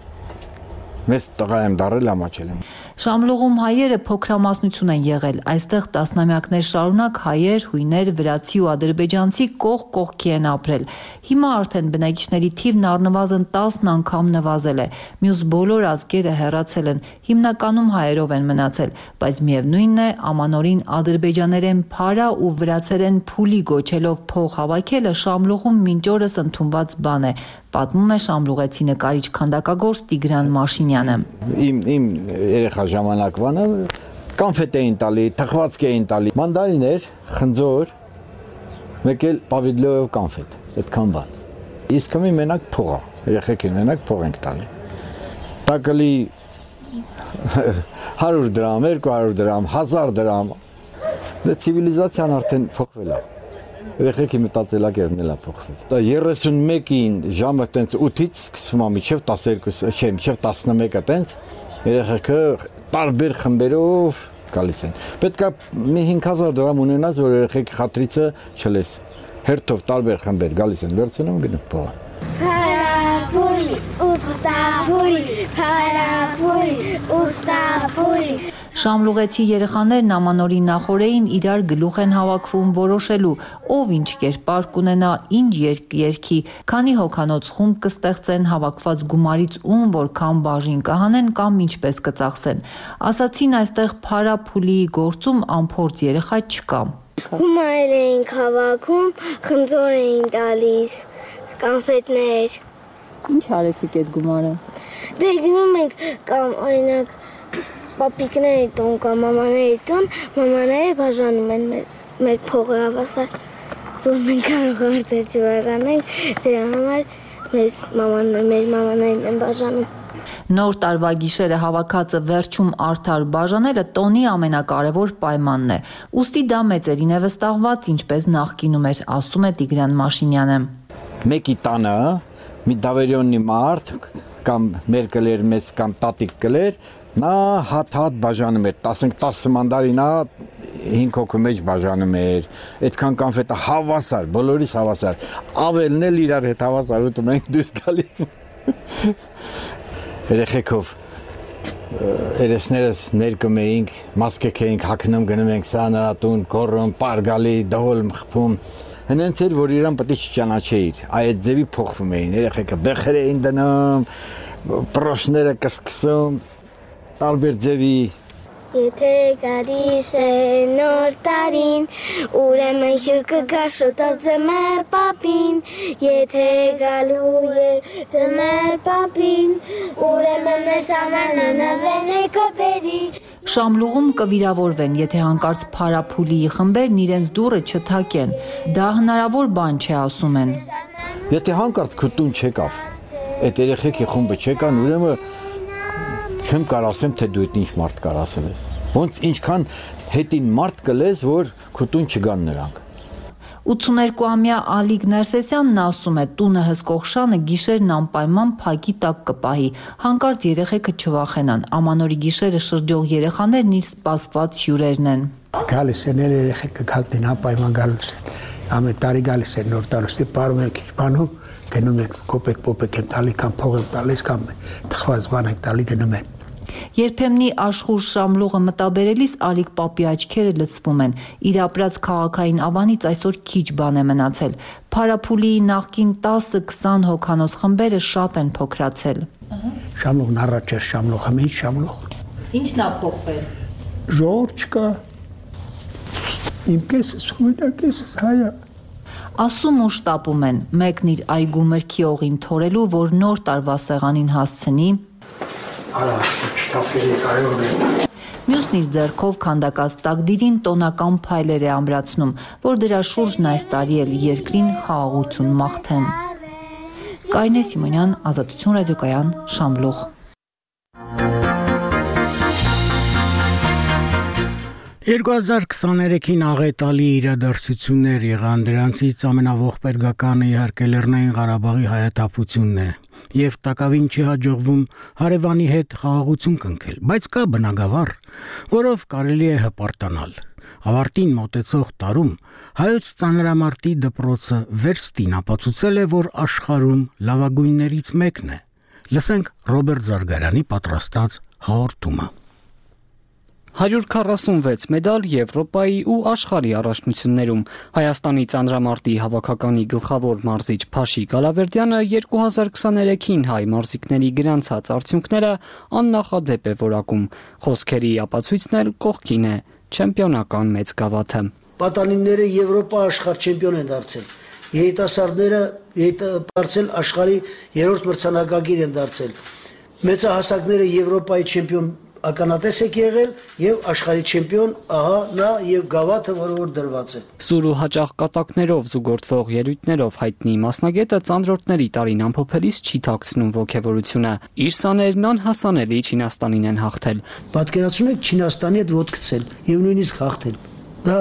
Speaker 14: Մեծ տղա եմ դառել, ամաչել եմ։
Speaker 12: Շամլուղում հայերը փոքրամասնություն են եղել, այստեղ տասնամյակներ շարունակ հայեր, հույներ, վրացի ու ադրբեջանցի կողք կողքի են ապրել։ Հիմա արդեն բնակիչների թիվն առնվազն տասն անգամ նվազել է, մյուս բոլոր ազգերը հեռացել են, հիմնականում հայերով են մնացել, բայց միևնույնն է, ամանորին ադրբեջաներեն փարա ու վրացերեն փուլի գոչելով փող հավաքելը Շամլուղում մինչ օրս ընդունված բան է, պատմում է շամլուղեցի նկարիչ քանդակագործ Տիգրան Մաշինյանը։
Speaker 14: Իմ իմ երեխա ժամանակվանը կոնֆետ էին տալի, թխվածք էին տալի, մանդարիներ, խնձոր, մեկ էլ պավիլոյով կոնֆետ, այդքան բան։ Իսկ հիմա մենակ փող է, երեխեքին մենակ փող ենք տալի։ Տակլի հարյուր դրամ, երկու հարյուր դրամ, հազար դրամ։ Դե ցիվիլիզացիան արդեն փոխվել է։ Երեխեքի մտածելակերպն էլ է փոխվել։ երեսունմեկին ժամը տենց ութից սկսվում է մինչև տասներկու, չէ, մինչև տասնմեկը տենց երեխեքը տարբեր խմբերով գալիս են։ Պետք է մի հինգ հազար դրամ ունենաս, որ երեխեքի խատրիցը չլես։ Հերթով տարբեր խմբեր գալիս են, վերցնում գնում փողը։
Speaker 7: Փարափուլի, ուստափուլի, փարափուլի, ուստափուլի։
Speaker 12: Շամլուղեցի երեխաներն ամանորի նախօրեին իրար գլուխ են հավաքվում որոշելու, ով ինչ կերպար կունենա, ինչ երգ երգի, քանի հոգանոց խումբ կստեղծեն, հավաքված գումարից ում որքան բաժին կհանեն կամ ինչպես կծախսեն։ Ասացին այստեղ փարափուլի գործում անփորձ երեխա չկա։
Speaker 7: Գումարել էինք հավաքում, խնձոր էին տալիս, կոնֆետներ։
Speaker 12: Ինչ արեցիք այդ գումարը։
Speaker 7: Դե գնում ենք կամ օրինակ պապիկների տուն կամ մամաների տուն, մամաները բաժանում են մեզ, մեր փողը հավասար, որ մենք կարող արդեն չբաժանենք, դրա համար մեզ մամանները, մեր մամաներն են բաժանում։
Speaker 12: Նոր տարվա գիշերը հավաքածը վերջում արդար բաժանելը տոնի ամենակարևոր պայմանն է։ Ուստի դա մեծերին է վստահված, ինչպես նախկինում էր, ասում է Տիգրան Մաշինյանը։
Speaker 14: Մեկի տանը մի դավերյոնի մարդ կամ մեր կլեր մեծ կամ տատիկ կլեր, նա հատ-հատ բաժանում էր, տասը մանդարինա հինգ հոգու մեջ բաժանում էր, այդքան կոնֆետը հավասար, բոլորիս հավասար, ավելն էլ իրար հետ հավասար ուտում ենք դուրս գալի։ Երեխեքով երեսներս ներկում էինք, մասկեք էինք հագնում, գնում ենք սրանարատուն, կոռում, պարգալի, դողոլ մխփում։ Հենց էր, որ իրան պետք է չճանաչեիր, այդ ձևի փոխվում էին, երեխեքը բեխեր էին դնում, պրոշները կսկսում, տարբեր ձևի։
Speaker 7: Եթե գալիս է նոր տարին, ուրեմն հյուր կգա շուտով ձմեռ պապին, եթե գալու է ձմեռ պապին, ուրեմն մեզ ամենը նվեն է կոպերի։
Speaker 12: Շամլուղում կվիրավորվեն, եթե հանկարծ փարափուլի խմբերն իրենց դուռը չթակեն։ Դա հնարավոր բան չէ, ասում են։
Speaker 14: Եթե հանկարծ քուտուն չեկավ, այդ երեխեքի խումբը չեկան, ուրեմն չեմ կարող ասեմ, թե դու այդ ինչ մարդ կար ասել ես։ Ոնց ինչքան հետին մարդ կլես, որ քուտուն չգան նրանք։
Speaker 12: ութսուներկուամյա Ալիկ Ներսեսյանն ասում է, տունը հսկող շանը գիշերն անպայման փակի տակ կպահի, հանկարծ երեխեքը չվախենան, ամանորի գիշերը շրջող երեխաներն իր սպասված հյուրերն են։
Speaker 15: Գալիս են երեխեքը գալտին անպայման գալուս են, ամեն տարի գալիս է նոր տարուստի պարում ենք ինչ բանում, գնում ենք կոպեկ պոպեկ են տալի կամ փող են տալիս կամ թխված բան ենք տալի գնում են։
Speaker 12: Երբեմնի աշխուժ Շամլուղը մտաբերելիս Ալիկ պապի աչքերը լցվում են։ Իր ապրած քաղաքային ավանից այսօր քիչ բան է մնացել։ Փարափուլի նախկին տասը քսան հոգանոց խմբերը շատ են փոքրացել։
Speaker 15: Շամլուղն առաջ էր Շամլուղը, ինչ Շամլուղ։
Speaker 12: Ինչն է փոխվել։
Speaker 15: Ժողովուրդ չկա։ Իմ կեսս հույնա կեսս հայա։
Speaker 12: Ասում ու շտապում են, մեկն իր այգու մրգի օղին թորելու, որ նոր տարվա սեղանին հասցնի։ Մյուսն իր ձեռքով քանդակած տակդիրին տոնական փայլեր է ամրացնում, որ դրա շուրջն այս տարի էլ երկրին խաղաղություն մաղթեն։ Կարինե Սիմոնյան, Ազատություն ռադիոկայան, Շամլուղ։
Speaker 1: երկու հազար քսաներեքին աղետալի իրադարձություններ եղան, դրանցից ամենաողբերգականը իհարկե Լեռնային Ղարաբաղի հայաթափությունն է, եւ տակավին չի հաջողվում հարևանի հետ խաղաղություն կնքել, բայց կա բնագավառ, որով կարելի է հպարտանալ։ Ավարտին մոտեցող տարում հայոց ծանրամարտի դպրոցը Վերստին ապացուցել է, որ աշխարհում լավագույններից մեկն է։ Լսենք Ռոբերտ Զարգարյանի պատրաստած հաղորդումը։
Speaker 22: հարյուր քառասունվեց մեդալ Եվրոպայի ու աշխարհի առաջնություններում։ Հայաստանի ծանրամարտի հավաքականի գլխավոր մարզիչ Փաշիկ Ալավերդյանը երկու հազար քսաներեքին հայ մարզիկների գրանցած արդյունքները աննախադեպ է որակում։ Խոսքերի ապացույցն էլ կողքին է չեմպիոնական մեծ գավաթը։
Speaker 16: Պատանիները Եվրոպա աշխարհ չեմպիոն են դարձել։ Երիտասարդները դարձել աշխարհի երրորդ մրցանակակիր են դարձել։ Մեծահասակները Եվրոպայի չեմպիոն ականատես եք եղել եւ աշխարհի չեմպիոն, ահա նա եւ գավաթը, որը որ դրված է։
Speaker 22: Սուր ու հաճախ կատակներով զուգորդվող ելույթներով հայտնի մասնագետը ծանրորդների տարին ամփոփելիս չի թաքցնում ոգևորությունը։ Իր սաներն անհասանելի Չինաստանին են հաղթել։
Speaker 16: Պատկերացնում եք Չինաստանի հետ ոտքցել եւ նույնիսկ հաղթել։ Դա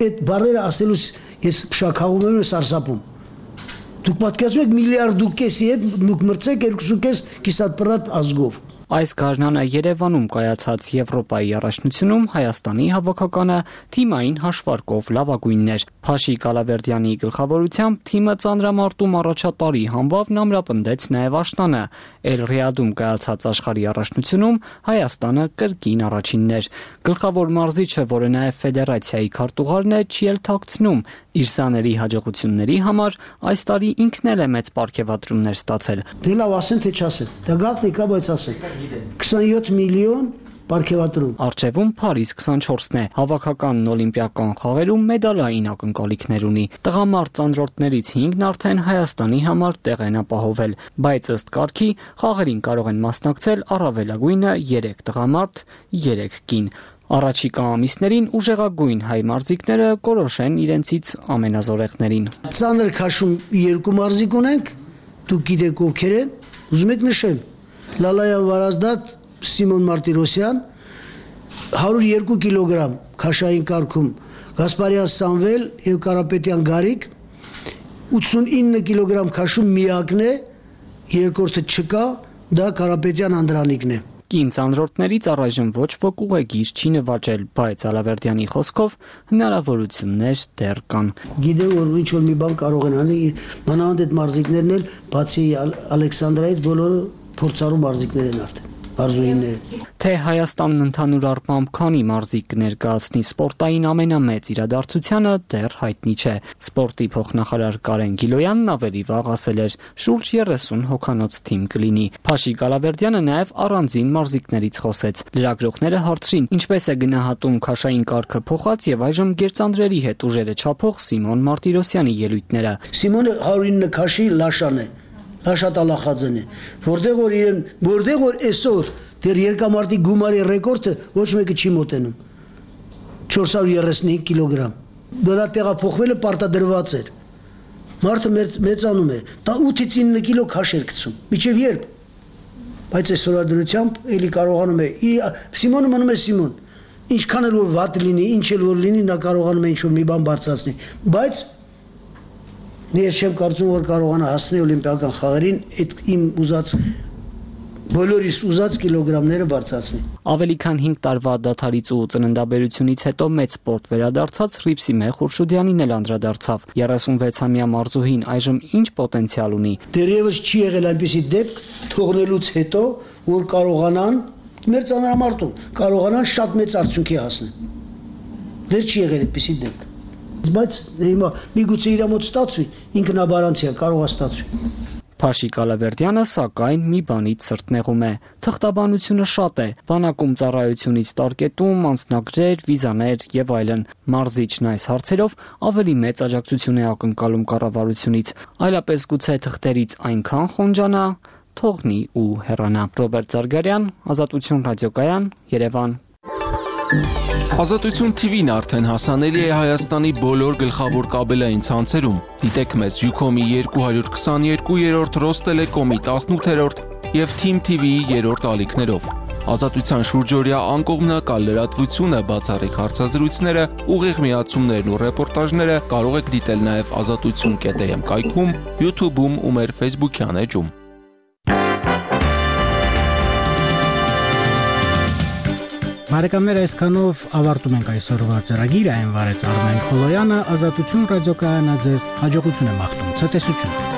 Speaker 16: այդ բառերը ասելուց ես փշակաղում եմ, սարսափում։ Դուք պատկերացնում եք միլիարդ ու կեսի հետ դուք մրցեք երկու կես կիսատպրատ ազգով։
Speaker 22: Այս գարնանը Երևանում կայացած Եվրոպայի առաջնությունում Հայաստանի հավաքականը թիմային հաշվարկով լավագույնն էր։ Փաշիկ Ալավերդյանի գլխավորությամբ թիմը ծանրամարտում առաջատարի համբավն ամրապնդեց նաև Աշտանը։ Էլ Ռիադում կայացած աշխարհի առաջնությունում Հայաստանը կրկին առաջինն էր։ Գլխավոր մարզիչը, որը նաև ֆեդերացիայի քարտուղարն է, չի էլ թաքցնում իր սաների հաջողությունների համար այս տարի ինքն էլ է մեծ պարգևատրումներ ստացել։
Speaker 16: Դե լավ ասեն թե չասեն։ Դա գաղտնի կա, բայց ասեն։ քսանյոթ միլիոն պարգևատրում։
Speaker 22: Առջևում Փարիզ քսանչորսն է։ Հավաքականն օլիմպիական խաղերում մեդալային ակնկալիքներ ունի։ Տղամարդ ծանրորդներից հինգն արդեն Հայաստանի համար տեղ են ապահովել, բայց ըստ կարգի խաղերին կարող են մասնակցել առավելագույնը երեք տղամարդ, երեք կին։ Առաջիկա ամիսներին ուժեղագույն հայ մարզիկները կորոշեն իրենցից ամենազորեղներին։
Speaker 16: Ծանր քաշում երկու մարզիկ ունենք, դուք գիտեք ովքեր են, ուզում եք նշեմ։ Լալայան Վարազդատ, Սիմոն Մարտիրոսյան, հարյուր երկու կիլոգրամ քաշային կարգում, Գասպարյան Սամվել եւ Կարապետյան Գարիկ, ութսունինը կիլոգրամ քաշում միակն է, երկրորդը չկա, դա Կարապետյան Անդրանիկն է։
Speaker 22: Կին ծանրորդներից առայժմ ոչ ոք ուղեգիր չի նվաճել, բայց Ալավերդյանի խոսքով հնարավորություններ դեռ կան։
Speaker 16: Գիտեմ, որ ինչ որ մի բան կարող են անել, մանավանդ այդ մարզիկներն էլ, բացի Ալեքսանդրայից, բոլորը փորձառու մարզիկներ են արդեն, մարզուհիներ։
Speaker 22: Թե Հայաստանն ընդհանուր առմամբ քանի մարզիկ կներկայացնի սպորտային ամենամեծ իրադարձությանը դեռ հայտնի չէ։ Սպորտի փոխնախարար Կարեն Գիլոյանն ավելի վաղ ասել էր, շուրջ երեսուն հոգանոց թիմ կլինի։ Փաշիկ Ալավերդյանը նաև առանձին մարզիկներից խոսեց։ Լրագրողները հարցրին, ինչպես է գնահատում քաշային կարգը փոխած եւ այժմ գերծանրերի հետ ուժերը չափող Սիմոն Մարտիրոսյանի ելույթները։
Speaker 16: Սիմոնը հարյուր ինը քաշի լաշան է։ Լաշատալախածն է, որտեղ որ իրեն, որտեղ որ այսօր դեռ երկամարտի գումարի ռեկորդը ոչ մեկը չի մոտենում։ չորս հարյուր երեսունհինգ կիլոգրամ։ Դրա տեղափոխվելը պարտադրված էր։ Մարդը մեծանում է, դա ութից ինը կիլո քաշ էր գցում։ Միջև երբ։ Բայց այսօր դրությամբ էլի կարողանում է։ Սիմոնը մնում է Սիմոն։ Ինչքան էլ որ վատ լինի, ինչ էլ որ լինի, նա կարողանում է ինչ-որ մի բան բարձրացնել։ Բայց ես չեմ կարծում, որ կարողանա հասնել օլիմպիական խաղերին, այդ իմ ուզած բոլորիս ուզած կիլոգրամները բարձրացնի։
Speaker 22: Ավելի քան հինգ տարվա դադարից ու ծննդաբերությունից հետո մեծ սպորտ վերադարձած Հռիփսիմե Խուրշուդյանին էլ անդրադարձավ։ երեսունվեցամյա մարզուհին այժմ ինչ պոտենցիալ ունի։
Speaker 16: Դեռևս չի եղել այնպիսի դեպք թողնելուց հետո, որ կարողանան մեր ծանրամարտում կարողանան շատ մեծ արդյունքի հասնել։ Դեռ չի եղել այդպիսի դեպք։ Բայց հիմա միգուցե իր մոտ ստացվի, ինքնաբարանցիա կարող է ստացվի։
Speaker 22: Փաշիկ Ալավերդյանը սակայն մի բանից սրտնեղում է։ Թղթաբանությունը շատ է, բանակում ծառայությունից տարկետում, անձնագրեր, վիզաներ եւ այլն։ Մարզիչն այս հարցերով ավելի մեծ աջակցություն է ակնկալում կառավարությունից, այլապես գուցե թղթերից այնքան խոնջանա, թողնի ու հեռանա։ Ռոբերտ Զարգարյան, Ազատություն ռադիոկայան, Երևան։
Speaker 2: Ազատություն T V-ն արդեն հասանելի է Հայաստանի բոլոր գլխավոր կաբելային ցանցերում։ Դիտեք մեզ Ucom-ի երկու քսաներկու, Ռոստելեկոմի տասնութերորդ եւ Team T V-ի երրորդ ալիքներով։ Ազատության շուրջօրյա անկողմնակալ լրատվությունը, բացառիկ հարցազրույցները, ուղիղ միացումներն ու ռեպորտաժները կարող եք դիտել նաեւ ազատություն կետ am կայքում, YouTube-ում ու մեր Facebook-յան էջում։
Speaker 1: Բարեկամներ, այսքանով ավարտում ենք այսօրվա ծրագիրը, այն վարեց Արմեն Խոլոյանը, Ազատություն ռադիոկայանը ձեզ հաջողություն է մաղթում, ցտեսություն։